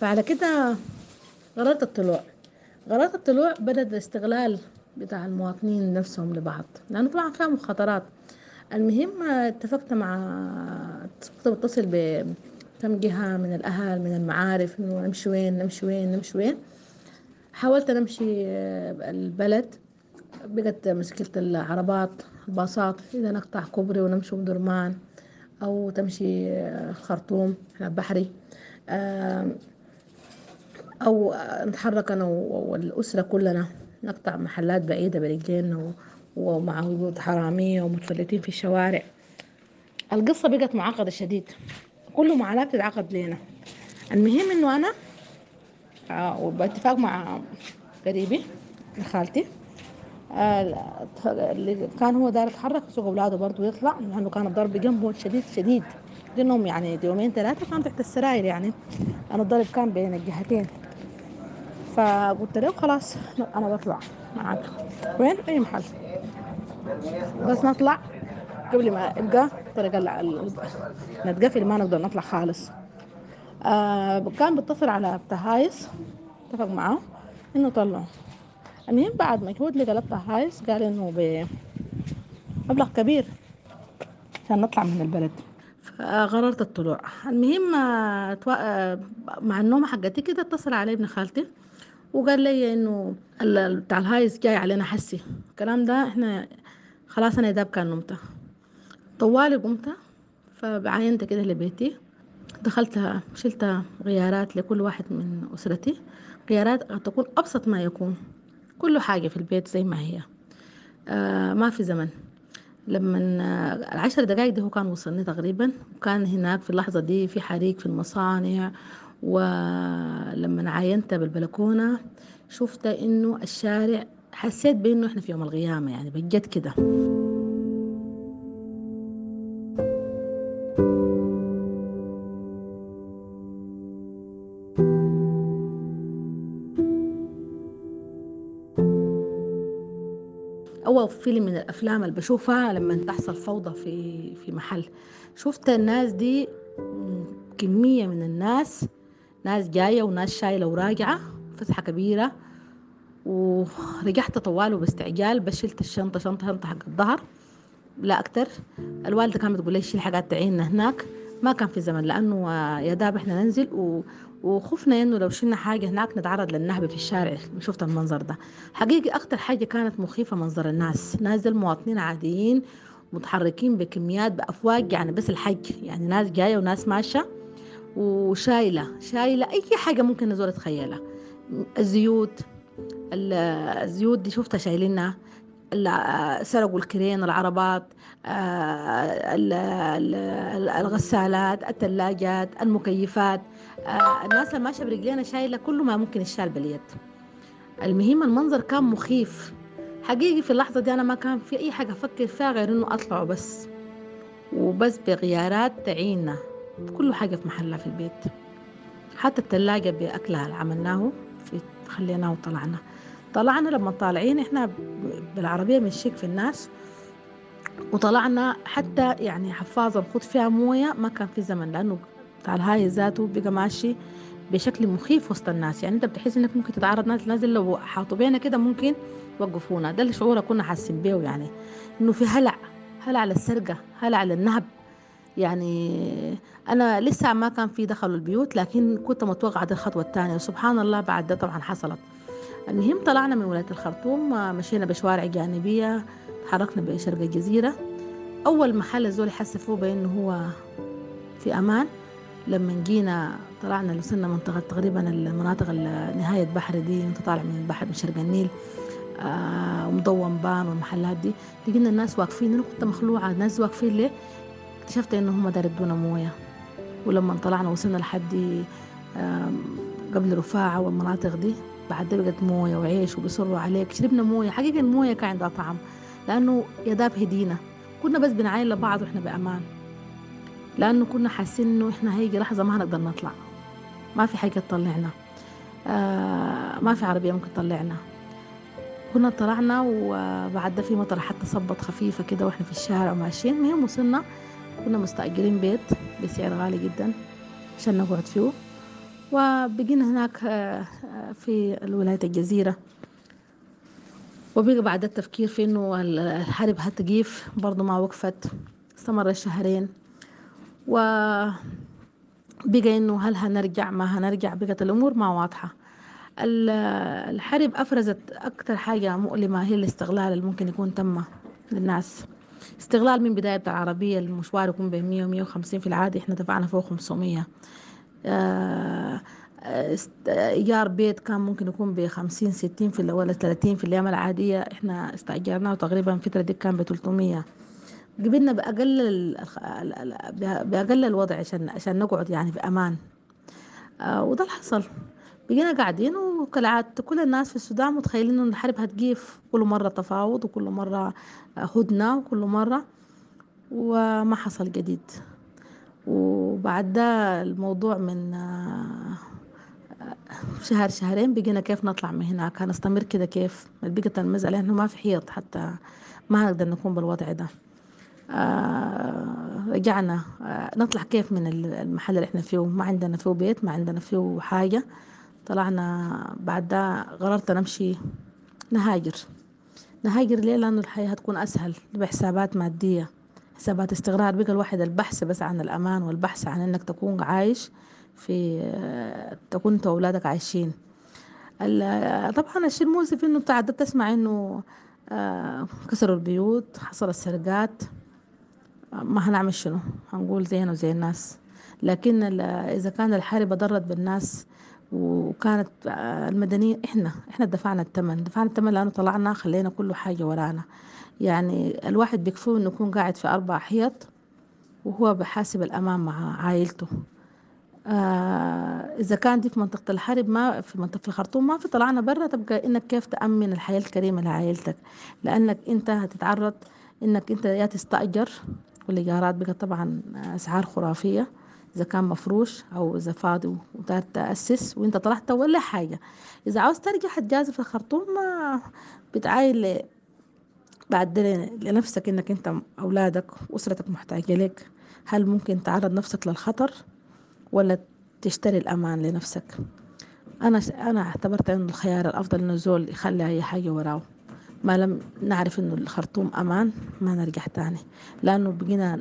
فعلى كده قررت الطلوع. قررت الطلوع بدأ الاستغلال بتاع المواطنين نفسهم لبعض، لأنه طبعا فيها مخاطرات. المهم اتفقت مع كنت بتصل بكم جهة من الأهل من المعارف إنه نمشي وين نمشي وين نمشي وين. حاولت نمشي البلد، بقت مشكلة العربات الباصات، إذا نقطع كوبري ونمشي بدرمان أو تمشي الخرطوم بحري، أو نتحرك أنا والأسرة كلنا نقطع محلات بعيدة برجلينا ومع وجود حرامية ومتفلتين في الشوارع. القصة بقت معقدة شديد، كل معاناة بتتعقد لنا. المهم إنه أنا وباتفاق مع قريبي خالتي اللي كان هو داير يتحرك يسوق أولاده برضه يطلع، لأنه كان الضرب جنبه شديد شديد، لأنهم يعني يومين ثلاثة كان تحت السراير، يعني أنا الضرب كان بين الجهتين. فقلت له خلاص أنا بطلع معاك وين أي محل، بس نطلع قبل ما يبقى طريق نتقفل ما نقدر نطلع خالص. كان بيتصل على بتاع هايس، اتفق معاه إنه طلعوا. المهم بعد مجهود لقى بتاع هايس قال إنه بمبلغ كبير عشان نطلع من البلد، فقررت الطلوع. المهم مع النوم حقتي كده اتصل علي ابن خالتي وقال لي إنه بتاع الهايس جاي علينا حسي الكلام ده، إحنا خلاص أنا داب كان نمت طوالي قمت، فعاينت كده لبيتي، دخلت شلت غيارات لكل واحد من أسرتي، غيارات قد تكون أبسط ما يكون، كل حاجة في البيت زي ما هي، ما في زمن. لما 10 دقايق ده هو كان وصلني تقريبا، وكان هناك في اللحظة دي في حريق في المصانع. ولما عاينت بالبلكونة شفت إنه الشارع، حسيت بإنه إحنا في يوم القيامة يعني بجد كده. أول فيلم من الأفلام اللي بشوفها لما تحصل فوضى في محل، شفت الناس دي كمية من الناس، ناس جاية وناس شايلة وراجعة، فسحة كبيرة. ورجعت طوال وباستعجال، بس شلت الشنطة شنطة شنطة حق الظهر لا أكتر. الوالدة كانت بتقول لي شيل حاجات تعيننا هناك، ما كان في زمن لأنه يا داب إحنا ننزل، وخفنا إنه لو شلنا حاجة هناك نتعرض للنهب في الشارع. شفت المنظر ده حقيقي أكتر حاجة كانت مخيفة، منظر الناس، ناس المواطنين عاديين متحركين بكميات بأفواج، يعني بس الحج، يعني ناس جاية وناس ماشية وشايلة شايلة أي حاجة ممكن نزول تخيلها. الزيوت دي شفتها شايلينها، سرقوا الكرين، العربات، الغسالات، الثلاجات، المكيفات. الناس اللي ماشية برجلينا شايلة كل ما ممكن يشال باليد. المهم المنظر كان مخيف حقيقي. في اللحظة دي أنا ما كان في أي حاجة أفكر فيها غير إنه أطلع وبس، وبس بغيارات تعيننا كل حاجة في محلها في البيت، حتى الثلاجة بأكلها اللي عملناه في خليناه وطلعنا. طلعنا لما طالعين إحنا بالعربية بنشك في الناس، وطلعنا حتى يعني حفاظة نخوض فيها موية ما كان في زمن، لأنه بتاع الهاي ذاته بقى ماشي بشكل مخيف وسط الناس. يعني أنت بتحس إنك ممكن تتعرض ناس نازل لو حاطوا بينا كده ممكن يوقفونا. ده الشعور كنا حاسين بيه، يعني إنه في هلع، هلع للسرقة، هلع للنهب. يعني أنا لسه ما كان في دخلوا البيوت، لكن كنت متوقعة دي الخطوة الثانية، وسبحان الله بعد ده طبعا حصلت. المهم طلعنا من ولاية الخرطوم، مشينا بشوارع جانبية، تحركنا بشرق الجزيرة. أول محل الزول حس فيه بأنه هو في أمان لما جينا طلعنا وصلنا منطقة تقريبا المناطق نهاية بحر دي، انت طالع من البحر من شرق النيل، ومضوم بان والمحلات دي، لقينا الناس واقفين. أنا كنت مخلوعة، الناس واقفين ليه؟ اكتشفت إنه هم دار يدونا موية. ولما طلعنا وصلنا لحد قبل رفاعة والمناطق دي، بعد بقت موية وعيش وبيصروا عليك. شربنا موية، حقيقة الموية كان عندها طعم لأنه يداب هدينا. كنا بس بنعاين لبعض وإحنا بأمان، لأنه كنا حاسين إنه إحنا هيجي لحظة ما هنقدر نطلع، ما في حاجة تطلعنا، ما في عربية ممكن تطلعنا. كنا طلعنا وبعد ده في مطر حتى صبت خفيفة كده وإحنا في الشارع وماشيين. المهم وصلنا، كنا مستأجرين بيت بسعر غالي جدا عشان نقعد فيه، وبقينا هناك في الولاية الجزيرة. وبقى بعد التفكير في إنه الحرب هتقيف، برضو ما وقفت، استمر شهرين. وبقى إنه هل هنرجع ما هنرجع، بقت الأمور ما واضحة. الحرب أفرزت أكثر حاجة مؤلمة هي الاستغلال اللي ممكن يكون تم للناس. استغلال من بداية العربية، المشوار يكون بين 100 و150 في العادي، إحنا دفعنا فوق 500. إيجار بيت كان ممكن يكون ب50 60 في ولا 30 في الأيام العادية، إحنا استأجرناه تقريبا الفترة دي كان ب300. قبلنا بأقل الوضع عشان نقعد يعني في أمان. وده اللي حصل. بقينا قاعدين، وكالعادة كل الناس في السودان متخيلين إنه الحرب هتقيف، كل مرة تفاوض وكل مرة هدنة وكل مرة، وما حصل جديد. وبعد ده الموضوع من شهر شهرين بقينا كيف نطلع من هناك، هنستمر كده كيف؟ بقت المسألة إنه ما في حيط، حتى ما هنقدر نكون بالوضع ده. رجعنا نطلع كيف من المحل اللي احنا فيه، ما عندنا فيه بيت، ما عندنا فيه حاجة. طلعنا بعد ده قررت نمشي نهاجر. نهاجر ليه؟ لأنه الحياة هتكون أسهل بحسابات مادية، حسابات استقرار. بقى الواحد البحث بس عن الأمان، والبحث عن إنك تكون عايش في، تكون أنت وأولادك عايشين. طبعا الشيء المؤسف إنه تعددت تسمع إنه كسروا البيوت، حصلت سرقات، ما هنعمل شنو؟ هنقول زينا وزي الناس. لكن إذا كان الحرب ضرت بالناس وكانت المدنيين، احنا دفعنا الثمن، دفعنا الثمن لأنه طلعنا خلينا كل حاجة ورانا. يعني الواحد بيكفيه إنه يكون قاعد في 4 حيط وهو بحاسب الأمان مع عائلته. إذا كان دي في منطقة الحرب، ما في منطقة الخرطوم ما في، طلعنا برا تبقى إنك كيف تأمن الحياة الكريمة لعائلتك، لأنك أنت هتتعرض إنك أنت يا تستأجر، والإيجارات بقى طبعا أسعار خرافية إذا كان مفروش أو إذا فاضي وتقدر تأسس وإنت طلعت ولا حاجة. إذا عاوز ترجع هتجازف في الخرطوم، ما بتعاين بعد لنفسك إنك أنت أولادك وأسرتك محتاجة لك. هل ممكن تعرض نفسك للخطر ولا تشتري الأمان لنفسك؟ أنا اعتبرت إنه الخيار الأفضل إنه الزول يخلي أي حاجة وراه. ما لم نعرف إنه الخرطوم أمان ما نرجع تاني، لأنه بقينا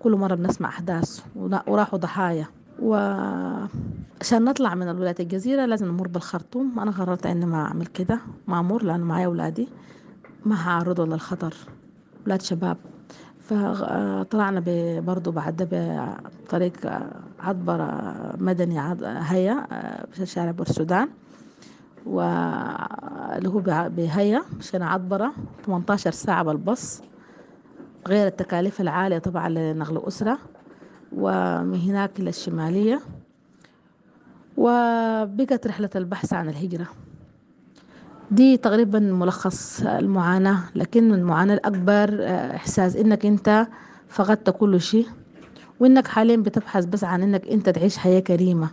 كل مرة بنسمع أحداث وراحوا ضحايا. وعشان نطلع من الولايات الجزيرة لازم نمر بالخرطوم. أنا قررت إني ما أعمل كده، ما أمر، لأنه معايا أولادي ما هعرضوا للخطر، أولاد شباب. فطلعنا برضو بعد ده بطريق عطبرة مدني هيا شارع بورسودان، واللي هو بهيا مشينا عطبرة 18 ساعة بالبص، غير التكاليف العالية طبعا لنقل أسرة، ومن هناك إلى الشمالية. وبقت رحلة البحث عن الهجرة دي تقريبا ملخص المعاناة. لكن المعاناة الأكبر إحساس إنك أنت فقدت كل شيء، وإنك حاليا بتبحث بس عن إنك أنت تعيش حياة كريمة،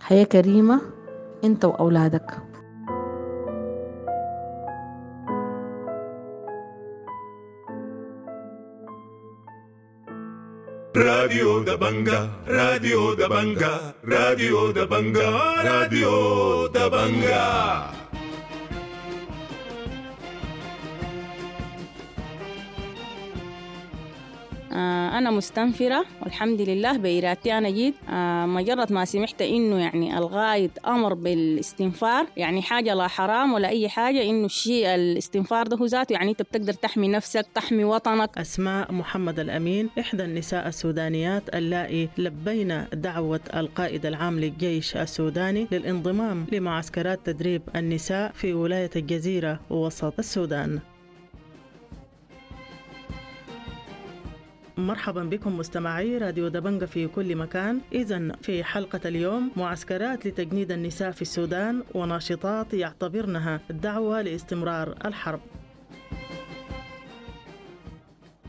حياة كريمة أنت وأولادك. راديو دبنجا، راديو دبنجا، راديو دبنجا، راديو دبنجا. أنا مستنفرة والحمد لله بإرادتي أنا جيت. مجرد ما سمعت إنه يعني الغايد أمر بالاستنفار، يعني حاجة لا حرام ولا أي حاجة، إنه الشيء الاستنفار ده هو ذاته يعني أنت بتقدر تحمي نفسك، تحمي وطنك. أسماء محمد الأمين إحدى النساء السودانيات اللائي لبينا دعوة القائد العام للجيش السوداني للانضمام لمعسكرات تدريب النساء في ولاية الجزيرة وسط السودان. مرحبا بكم مستمعي راديو دبنجة في كل مكان. إذن في حلقة اليوم معسكرات لتجنيد النساء في السودان وناشطات يعتبرنها دعوة لاستمرار الحرب.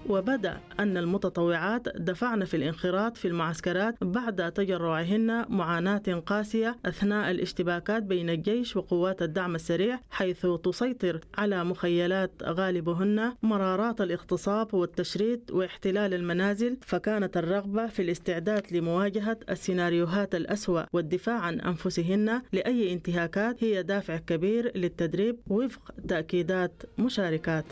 وبدأ أن المتطوعات دفعن في الانخراط في المعسكرات بعد تجرعهن معاناة قاسية أثناء الاشتباكات بين الجيش وقوات الدعم السريع، حيث تسيطر على مخيلات غالبهن مرارات الاغتصاب والتشريد واحتلال المنازل. فكانت الرغبة في الاستعداد لمواجهة السيناريوهات الأسوأ والدفاع عن أنفسهن لأي انتهاكات هي دافع كبير للتدريب وفق تأكيدات مشاركات.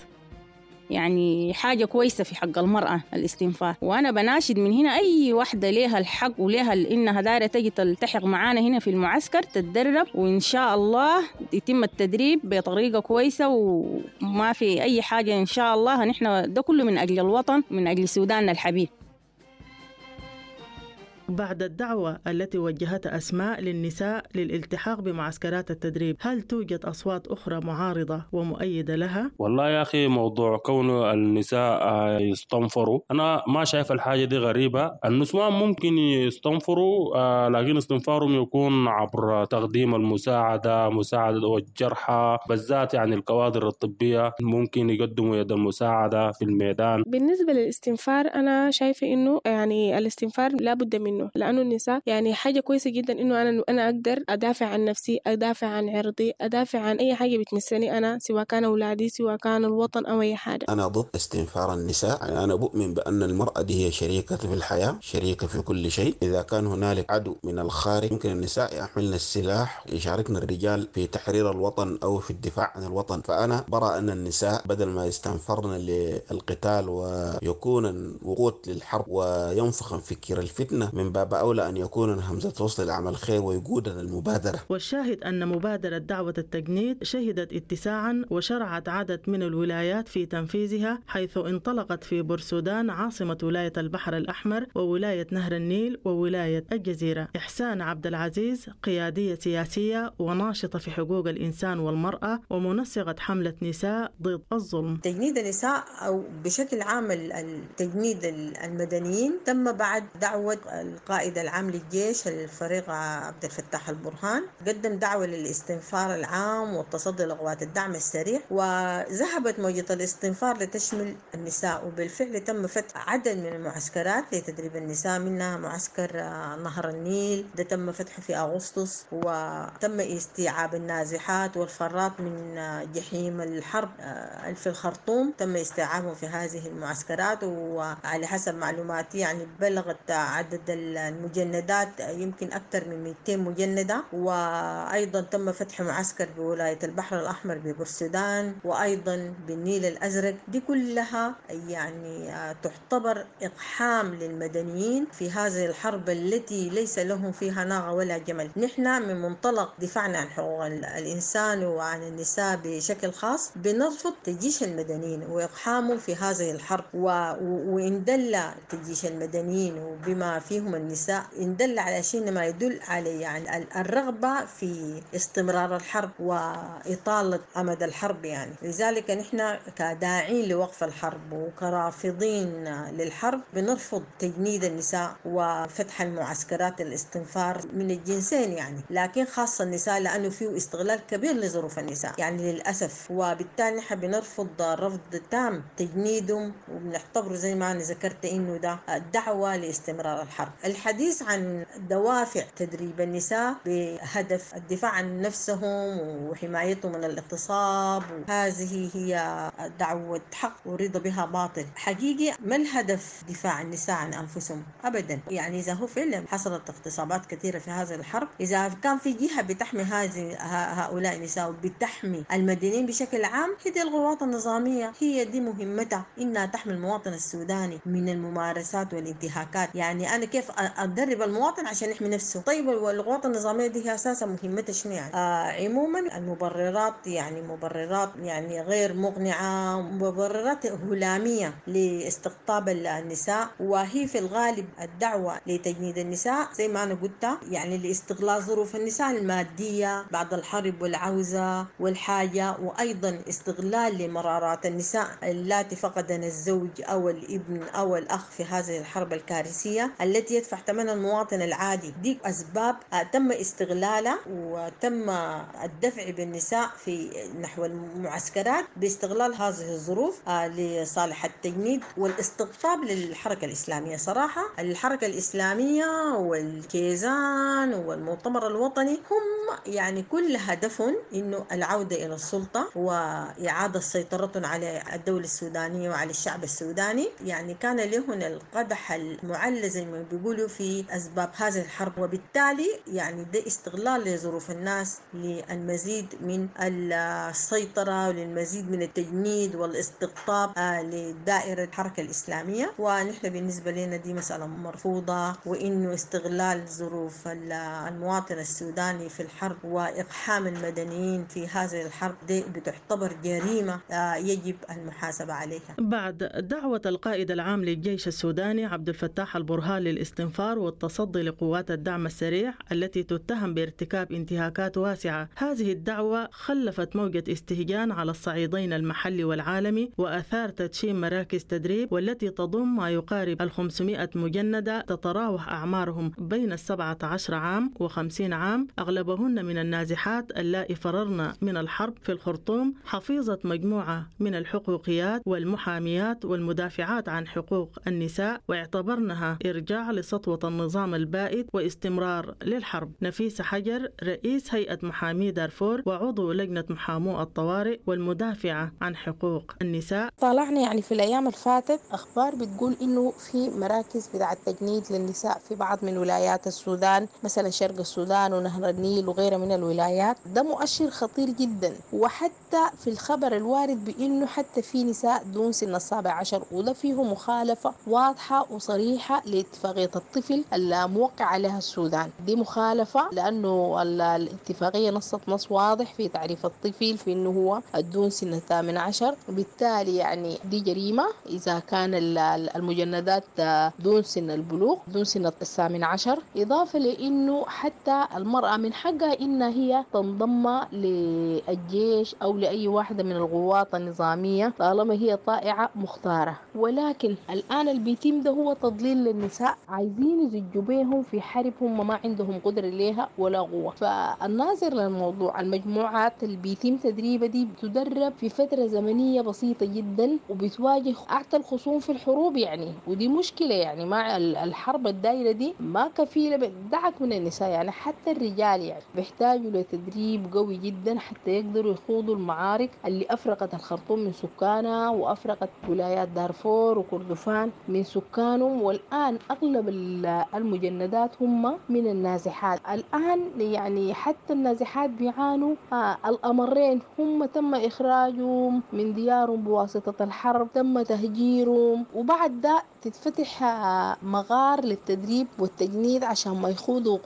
يعني حاجة كويسة في حق المرأة الاستنفار، وأنا بناشد من هنا أي واحدة ليها الحق وليها إنها دايرة تجي تلتحق معانا هنا في المعسكر تتدرب، وإن شاء الله يتم التدريب بطريقة كويسة وما في أي حاجة إن شاء الله. نحن ده كله من أجل الوطن، من أجل سوداننا الحبيب. بعد الدعوة التي وجهتها أسماء للنساء للالتحاق بمعسكرات التدريب، هل توجد أصوات أخرى معارضة ومؤيدة لها؟ والله يا أخي موضوع كون النساء يستنفروا أنا ما شايف الحاجة دي غريبة. النسوان ممكن يستنفروا، لكن استنفارهم يكون عبر تقديم المساعدة، مساعدة والجرحى بالذات، يعني الكوادر الطبية ممكن يقدموا يد المساعدة في الميدان. بالنسبة للاستنفار أنا شايفة إنه يعني الاستنفار لا بد منه، لأنه النساء يعني حاجة كويسة جدا إنه أنا أقدر أدافع عن نفسي، أدافع عن عرضي، أدافع عن أي حاجة بتمسني أنا، سواء كان أولادي سواء كان الوطن أو أي حاجة. أنا ضد استنفار النساء، يعني أنا بؤمن بأن المرأة دي هي شريكة في الحياة، شريكة في كل شيء. إذا كان هنالك عدو من الخارج يمكن النساء يحملن السلاح، يشاركن الرجال في تحرير الوطن أو في الدفاع عن الوطن. فأنا برى أن النساء بدل ما يستنفرن للقتال ويكون وقود للحرب وينفخن فكر الفتنة، من باب أولى أن يكون همزة وصل لعمل الخير ويقودنا المبادرة. والشاهد أن مبادرة دعوة التجنيد شهدت اتساعا وشرعت عدد من الولايات في تنفيذها، حيث انطلقت في بورسودان عاصمة ولاية البحر الأحمر وولاية نهر النيل وولاية الجزيرة. إحسان عبد العزيز قيادية سياسية وناشطة في حقوق الإنسان والمرأة ومنسقة حملة نساء ضد الظلم. تجنيد النساء أو بشكل عام التجنيد المدنيين تم بعد دعوة القائد العام للجيش الفريق عبد الفتاح البرهان، قدم دعوة للاستنفار العام والتصدي لقوات الدعم السريع، وذهبت موجة الاستنفار لتشمل النساء، وبالفعل تم فتح عدد من المعسكرات لتدريب النساء، منها معسكر نهر النيل ده تم فتحه في أغسطس، وتم استيعاب النازحات والفرات من جحيم الحرب في الخرطوم، تم استيعابهم في هذه المعسكرات. وعلى حسب معلوماتي يعني بلغت عدد المجندات يمكن أكثر من 200 مجندة. وأيضا تم فتح معسكر بولاية البحر الأحمر ببورسودان وأيضا بالنيل الأزرق. دي كلها يعني تعتبر إقحام للمدنيين في هذه الحرب التي ليس لهم فيها ناقة ولا جمل. نحن من منطلق دفاعنا عن حقوق الإنسان وعن النساء بشكل خاص بنرفض تجيش المدنيين وإقحامهم في هذه الحرب، وإن دل تجيش المدنيين وبما فيهم تجنيدهم النساء إن دل على شيء ما يدل على يعني الرغبة في استمرار الحرب وإطالة أمد الحرب يعني. لذلك نحن كداعين لوقف الحرب وكرافضين للحرب بنرفض تجنيد النساء وفتح المعسكرات الاستنفار من الجنسين يعني، لكن خاصة النساء لأنه فيه استغلال كبير لظروف النساء يعني للأسف. وبالتالي نحن بنرفض رفض تام تجنيدهم، وبنعتبره زي ما أنا ذكرت إنه ده دعوة لاستمرار الحرب. الحديث عن دوافع تدريب النساء بهدف الدفاع عن نفسهم وحمايتهم من الاغتصاب، هذه هي دعوة حق ورضا بها باطل. حقيقي ما الهدف دفاع النساء عن أنفسهم أبدا يعني. إذا هو فعلا حصلت اغتصابات كثيرة في هذه الحرب، إذا كان في جهة بتحمي هذه هؤلاء النساء وبتحمي المدنيين بشكل عام، هي دي القوات النظامية، هي دي مهمتها إنها تحمي المواطن السوداني من الممارسات والانتهاكات. يعني أنا كيف أدرب المواطن عشان يحمي نفسه؟ طيب والقوات النظامية دي هي أساسا مهمتها شنو يعني؟ عموما المبررات يعني مبررات يعني غير مقنعة، مبررات هلامية لاستقطاب النساء، وهي في الغالب الدعوة لتجنيد النساء زي ما أنا قلت يعني لاستغلال ظروف النساء المادية بعد الحرب والعوزة والحاجة، وأيضا استغلال لمرارات النساء اللاتي فقدن الزوج أو الابن أو الأخ في هذه الحرب الكارثية التي يدفع ثمنها المواطن العادي. دي أسباب تم استغلالها وتم الدفع بالنساء في نحو المعسكرات باستغلال هذه الظروف لصالح التجنيد والاستقطاب للحركة الإسلامية. صراحة الحركة الإسلامية والكيزان والمؤتمر الوطني هم يعني كل هدفهم إنه العودة إلى السلطة وإعادة سيطرتهم على الدولة السودانية وعلى الشعب السوداني. يعني كان لهم القدح المعلى زي ما بيقولوا في أسباب هذه الحرب، وبالتالي يعني ده استغلال لظروف الناس للمزيد من السيطرة وللمزيد من التجنيد والاستقطاب لدائرة الحركة الإسلامية. ونحن بالنسبة لنا دي مسألة مرفوضة، وإنه استغلال ظروف المواطن السوداني في الحرب وإقحام المدنيين في هذه الحرب دي بتعتبر جريمة يجب المحاسبة عليها. بعد دعوة القائد العام للجيش السوداني عبد الفتاح البرهان للاستنفار والتصدي لقوات الدعم السريع التي تتهم بارتكاب انتهاكات واسعة، هذه الدعوة خلفت موجة استهجان على الصعيدين المحلي والعالمي، وأثار تدشين مراكز تدريب والتي تضم ما يقارب 500 مجندة تتراوح أعمارهم بين 17 عام و50 عام، أغلبهن من النازحات اللائي فررن من الحرب في الخرطوم، حفيظة مجموعة من الحقوقيات والمحاميات والمدافعات عن حقوق النساء، واعتبرنها إرجاع لسطوة النظام البائد واستمرار للحرب. نفيسة حجر رئيس هيئة محامي دارفور وعضو لجنة محامو الطوارئ والمدافعة عن حقوق النساء: طالعنا يعني في الأيام الفاتت أخبار بتقول إنه في مراكز بتاع التجنيد للنساء في بعض من ولايات السودان، مثلا شرق السودان ونهر النيل وغيرها من الولايات. ده مؤشر خطير جدا. وحتى في الخبر الوارد بإنه حتى في نساء دون سن 17، وده فيه مخالفة واضحة وصريحة لاتفاقية الطفل الموقع عليها السودان. دي مخالفة لأنه الاتفاقية نصت نص واضح في تعريف الطفل في إنه هو دون سن 18، وبالتالي يعني دي جريمة إذا كان المجندات دون سن البلوغ، دون سن 18. إضافة لأنه حتى المرأة من حقها إن هي تنضم للجيش أو لأي واحدة من القوات النظامية طالما هي طائعة مختارة. ولكن الآن البيتم ده هو تضليل للنساء، عايزين يزجوا بيهم في حرب هم ما عندهم قدرة ليها ولا قوة. فالناظر للموضوع، المجموعات اللي بيتم تدريبها دي بتدرب في فترة زمنية بسيطة جدا وبتواجه أعتى الخصوم في الحروب يعني، ودي مشكلة يعني. مع الحرب الدايرة دي ما كفيلة بدعك من النساء يعني، حتى الرجال يعني بيحتاجوا لتدريب قوي جدا حتى يقدروا يخوضوا المعارك اللي أفرقت الخرطوم من سكانها وأفرقت ولايات دارفور وكردفان من سكانهم. والآن أغلب المجندات هم من النازحات الآن يعني، حتى النازحات بيعانوا الأمرين، هم تم إخراجهم من ديارهم بواسطة الحرب، تم تهجيرهم، وبعد ده تتفتح مغار للتدريب والتجنيد عشان ما يخوضوا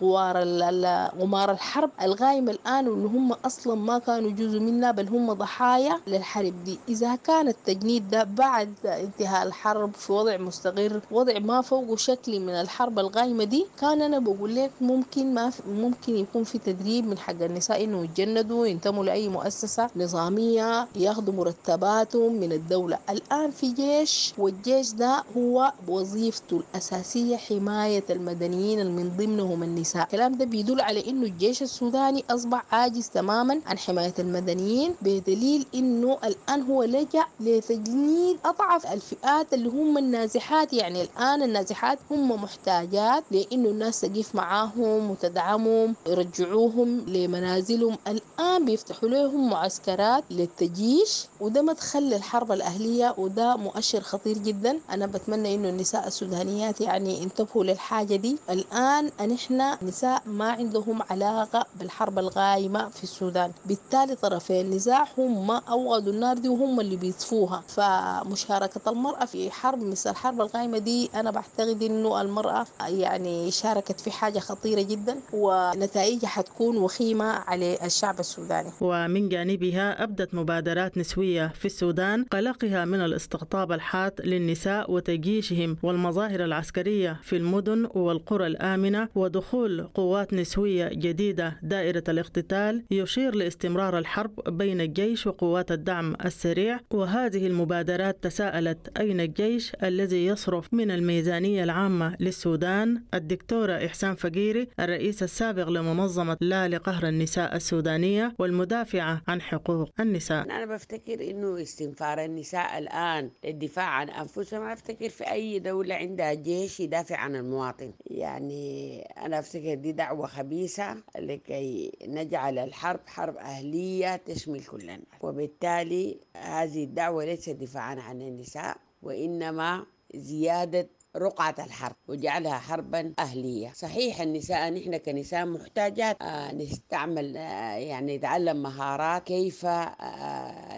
غمار الحرب الغايمة الآن، واللي هم أصلا ما كانوا جزء منها بل هم ضحايا للحرب دي. إذا كان التجنيد ده بعد انتهاء الحرب في وضع مستقر، وضع ما فوقه شكل من الحرب الغايمة دي، كان أنا بقول لك ممكن ما ممكن يكون في تدريب من حق النساء إنه يتجندوا، ينتموا لأي مؤسسة نظامية، ياخذوا مرتباتهم من الدولة. الآن في جيش، والجيش ده هو وظيفته الأساسية حماية المدنيين من ضمنهم النساء. الكلام ده بيدل على إنه الجيش السوداني أصبح عاجز تماما عن حماية المدنيين، بدليل إنه الآن هو لجأ لتجنيد أضعف الفئات اللي هم النازحات. يعني الآن النازحات هم محتاجات لإنه الناس تقف معاهم وتدعمهم، يرجعوهم لمنازلهم. الآن بيفتحوا لهم معسكرات للتجيش، وده مدخل للحرب الأهلية، وده مؤشر خطير جدا. أنا بتمنى إنه النساء السودانيات يعني انتبهوا للحاجة دي. الآن نحن نساء ما عندهم علاقة بالحرب الغايمة في السودان، بالتالي طرفين النزاع هم أوغدوا النار دي وهم اللي بيطفوها. فمشاركة المرأة في حرب مثل الحرب الغايمة دي، أنا بعتقد إنه المرأة يعني شاركت في حاجة خطيرة جدا، ونتائجها حتكون وخيمة على الشعب السوداني. ومن جانبها أبدت مبادرات نسوية في السودان قلقها من الاستقطاب الحاد للنساء وتجيشهم والمظاهر العسكرية في المدن والقرى الآمنة، ودخول قوات نسوية جديدة دائرة الاقتتال يشير لاستمرار الحرب بين الجيش وقوات الدعم السريع. وهذه المبادرات تساءلت أين الجيش الذي يصرف من الميزانية العامة للسودان؟ الدكتورة إحسان فقيري، الرئيس السابق لمنظمة لا لقهر النساء السودانية والمدافعة عن حقوق النساء. أنا بفتكر إنه استنفار النساء الآن للدفاع عن أنفسهم، أنا أفتكر في أي دولة عندها جيش يدافع عن المواطن. يعني أنا أفتكر دي دعوة خبيثة لكي نجعل الحرب حرب أهلية تشمل كل الناس، وبالتالي هذه الدعوة ليست دفاعا عن النساء، وإنما زيادة رقعة الحرب وجعلها حربا أهلية. صحيح النساء، نحن كنساء محتاجات نستعمل يعني نتعلم مهارات كيف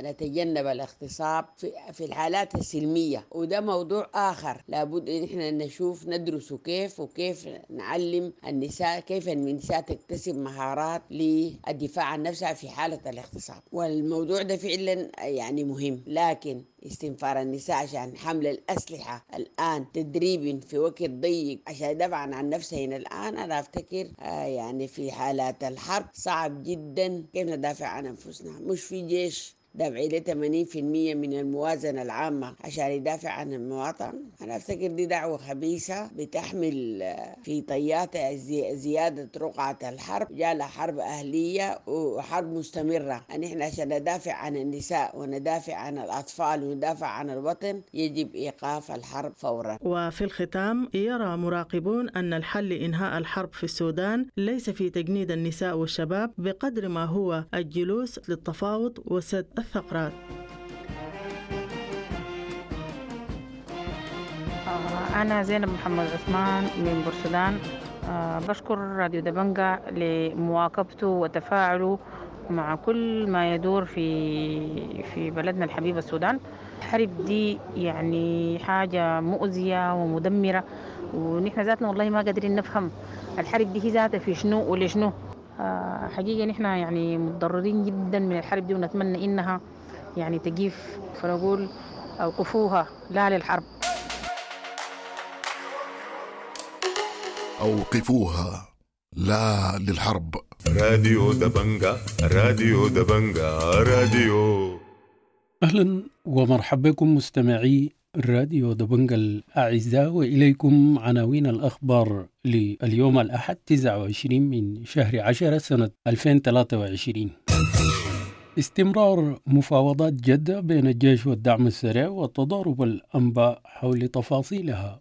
نتجنب الاغتصاب في الحالات السلمية، وده موضوع آخر لابد إن احنا نشوف ندرسه كيف، وكيف نعلم النساء كيف النساء تكتسب مهارات للدفاع عن نفسها في حالة الاغتصاب. والموضوع ده فعلا يعني مهم، لكن استنفار النساء عشان حمل الأسلحة الآن تدريب في وقت ضيق عشان يدافعن عن نفسهن الآن، أنا أفتكر يعني في حالات الحرب صعب جدا كيف ندافع عن أنفسنا. مش في جيش دافع له 80% من الموازنة العامة عشان يدافع عن المواطن. أنا أفتكر دي دعوة خبيثة بتحمل في طياتها زيادة رقعة الحرب، جالها حرب أهلية وحرب مستمرة. أن إحنا عشان ندافع عن النساء وندافع عن الأطفال وندافع عن الوطن يجب إيقاف الحرب فورا. وفي الختام، يرى مراقبون أن الحل لإنهاء الحرب في السودان ليس في تجنيد النساء والشباب بقدر ما هو الجلوس للتفاوض وسد الثغرات. أنا زينب محمد عثمان من بورسودان. بشكر راديو دبنجا لمواكبته وتفاعله مع كل ما يدور في بلدنا الحبيب السودان. الحرب دي يعني حاجة مؤذية ومدمرة، ونحن ذاتنا والله ما قادرين نفهم الحرب دي هي ذاتها في شنو ولشنو. حقيقة نحن يعني متضررين جدا من الحرب دي، ونتمنى إنها يعني تقيف، فنقول أوقفوها، لا للحرب. أوقفوها، لا للحرب. راديو دبنجا، راديو دبنجا، راديو. أهلا ومرحبا بكم مستمعي راديو دبنجا الأعزاء، وإليكم عناوين الأخبار لليوم الأحد 29 من شهر 10 سنة 2023. استمرار مفاوضات جدة بين الجيش والدعم السريع وتضارب الأنباء حول تفاصيلها.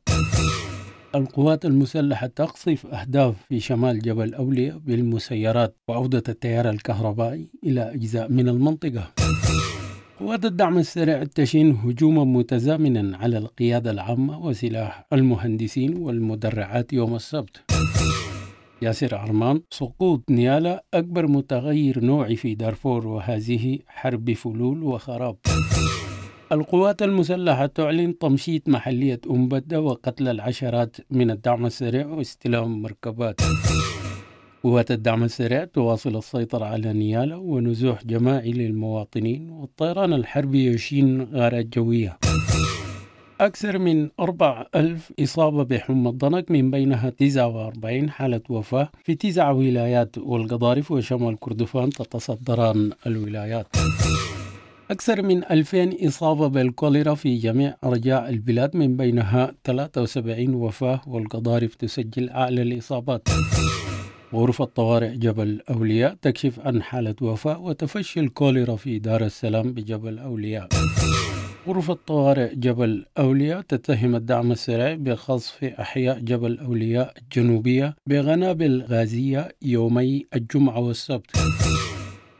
القوات المسلحة تقصف أهداف في شمال جبل أولياء بالمسيرات وعودة التيار الكهربائي إلى أجزاء من المنطقة. قوات الدعم السريع تشن هجوما متزامنا على القيادة العامة وسلاح المهندسين والمدرعات يوم السبت. ياسر عرمان: سقوط نيالا أكبر متغير نوعي في دارفور، وهذه حرب فلول وخراب. القوات المسلحة تعلن تمشيط محلية أمبدة وقتل العشرات من الدعم السريع واستلام مركبات. قوات الدعم السريع تواصل السيطرة على نيالا ونزوح جماعي للمواطنين، والطيران الحربي يشين غارات جوية. أكثر من 4000 إصابة بحمى الضنك، من بينها 49 حالة وفاة في 9 ولايات، والقضارف وشمال كردفان تتصدران الولايات. أكثر من 2000 إصابة بالكوليرا في جميع أرجاء البلاد، من بينها 73 وفاة، والقضارف تسجل أعلى الإصابات. غرفة طوارئ جبل أولياء تكشف عن حالة وفاة وتفشي الكوليرا في دار السلام بجبل أولياء. غرفة طوارئ جبل أولياء تتهم الدعم السريع بقصف أحياء جبل أولياء الجنوبية بقنابل غازية يومي الجمعة والسبت.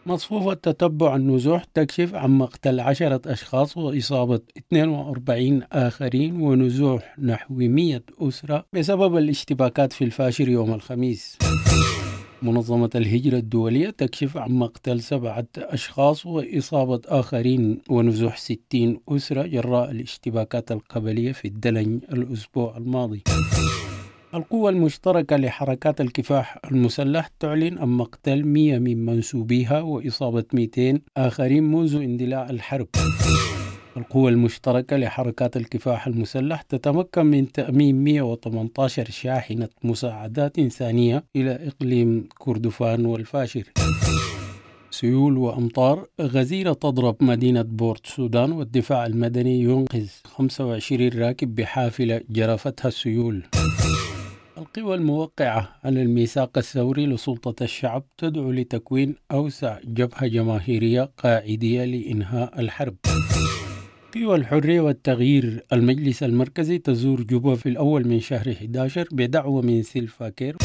مصفوفة تتبع النزوح تكشف عن مقتل 10 أشخاص وإصابة 42 آخرين ونزوح نحو 100 أسرة بسبب الاشتباكات في الفاشر يوم الخميس. منظمة الهجرة الدولية تكشف عن مقتل 7 أشخاص وإصابة آخرين ونزوح 60 أسرة جراء الاشتباكات القبلية في الدلنج الأسبوع الماضي. القوة المشتركة لحركات الكفاح المسلح تعلن عن مقتل 100 من منسوبيها وإصابة 200 آخرين منذ اندلاع الحرب. القوة المشتركة لحركات الكفاح المسلح تتمكن من تأمين 118 شاحنة مساعدات إنسانية إلى إقليم كردفان والفاشر. سيول وأمطار غزيرة تضرب مدينة بورت سودان، والدفاع المدني ينقذ 25 راكب بحافلة جرفتها السيول. القوى الموقعة على الميثاق الثوري لسلطة الشعب تدعو لتكوين أوسع جبهة جماهيرية قاعدية لإنهاء الحرب. قوى الحرية والتغيير المجلس المركزي تزور جوبا في الأول من شهر 11 بدعوة من سلفاكير.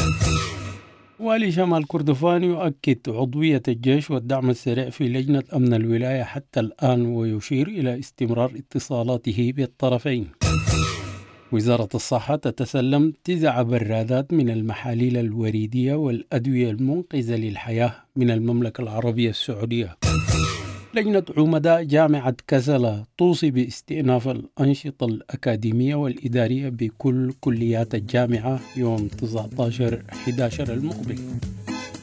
والي شمال كردفان يؤكد عضوية الجيش والدعم السريع في لجنة أمن الولاية حتى الآن، ويشير إلى استمرار اتصالاته بالطرفين. وزارة الصحة تتسلم 9 برادات من المحاليل الوريدية والأدوية المنقذة للحياة من المملكة العربية السعودية. لجنة عمداء جامعة كسلا توصي باستئناف الأنشطة الأكاديمية والإدارية بكل كليات الجامعة يوم 19/11 المقبل.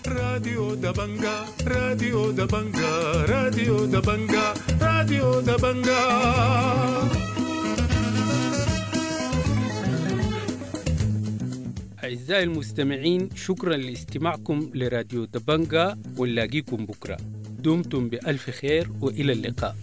راديو دبنجا، راديو دبنجا، راديو دبنجا، راديو دبنجا. أعزائي المستمعين، شكرا لاستماعكم لراديو دبنجا، ونلاقيكم بكرة. دمتم بألف خير وإلى اللقاء.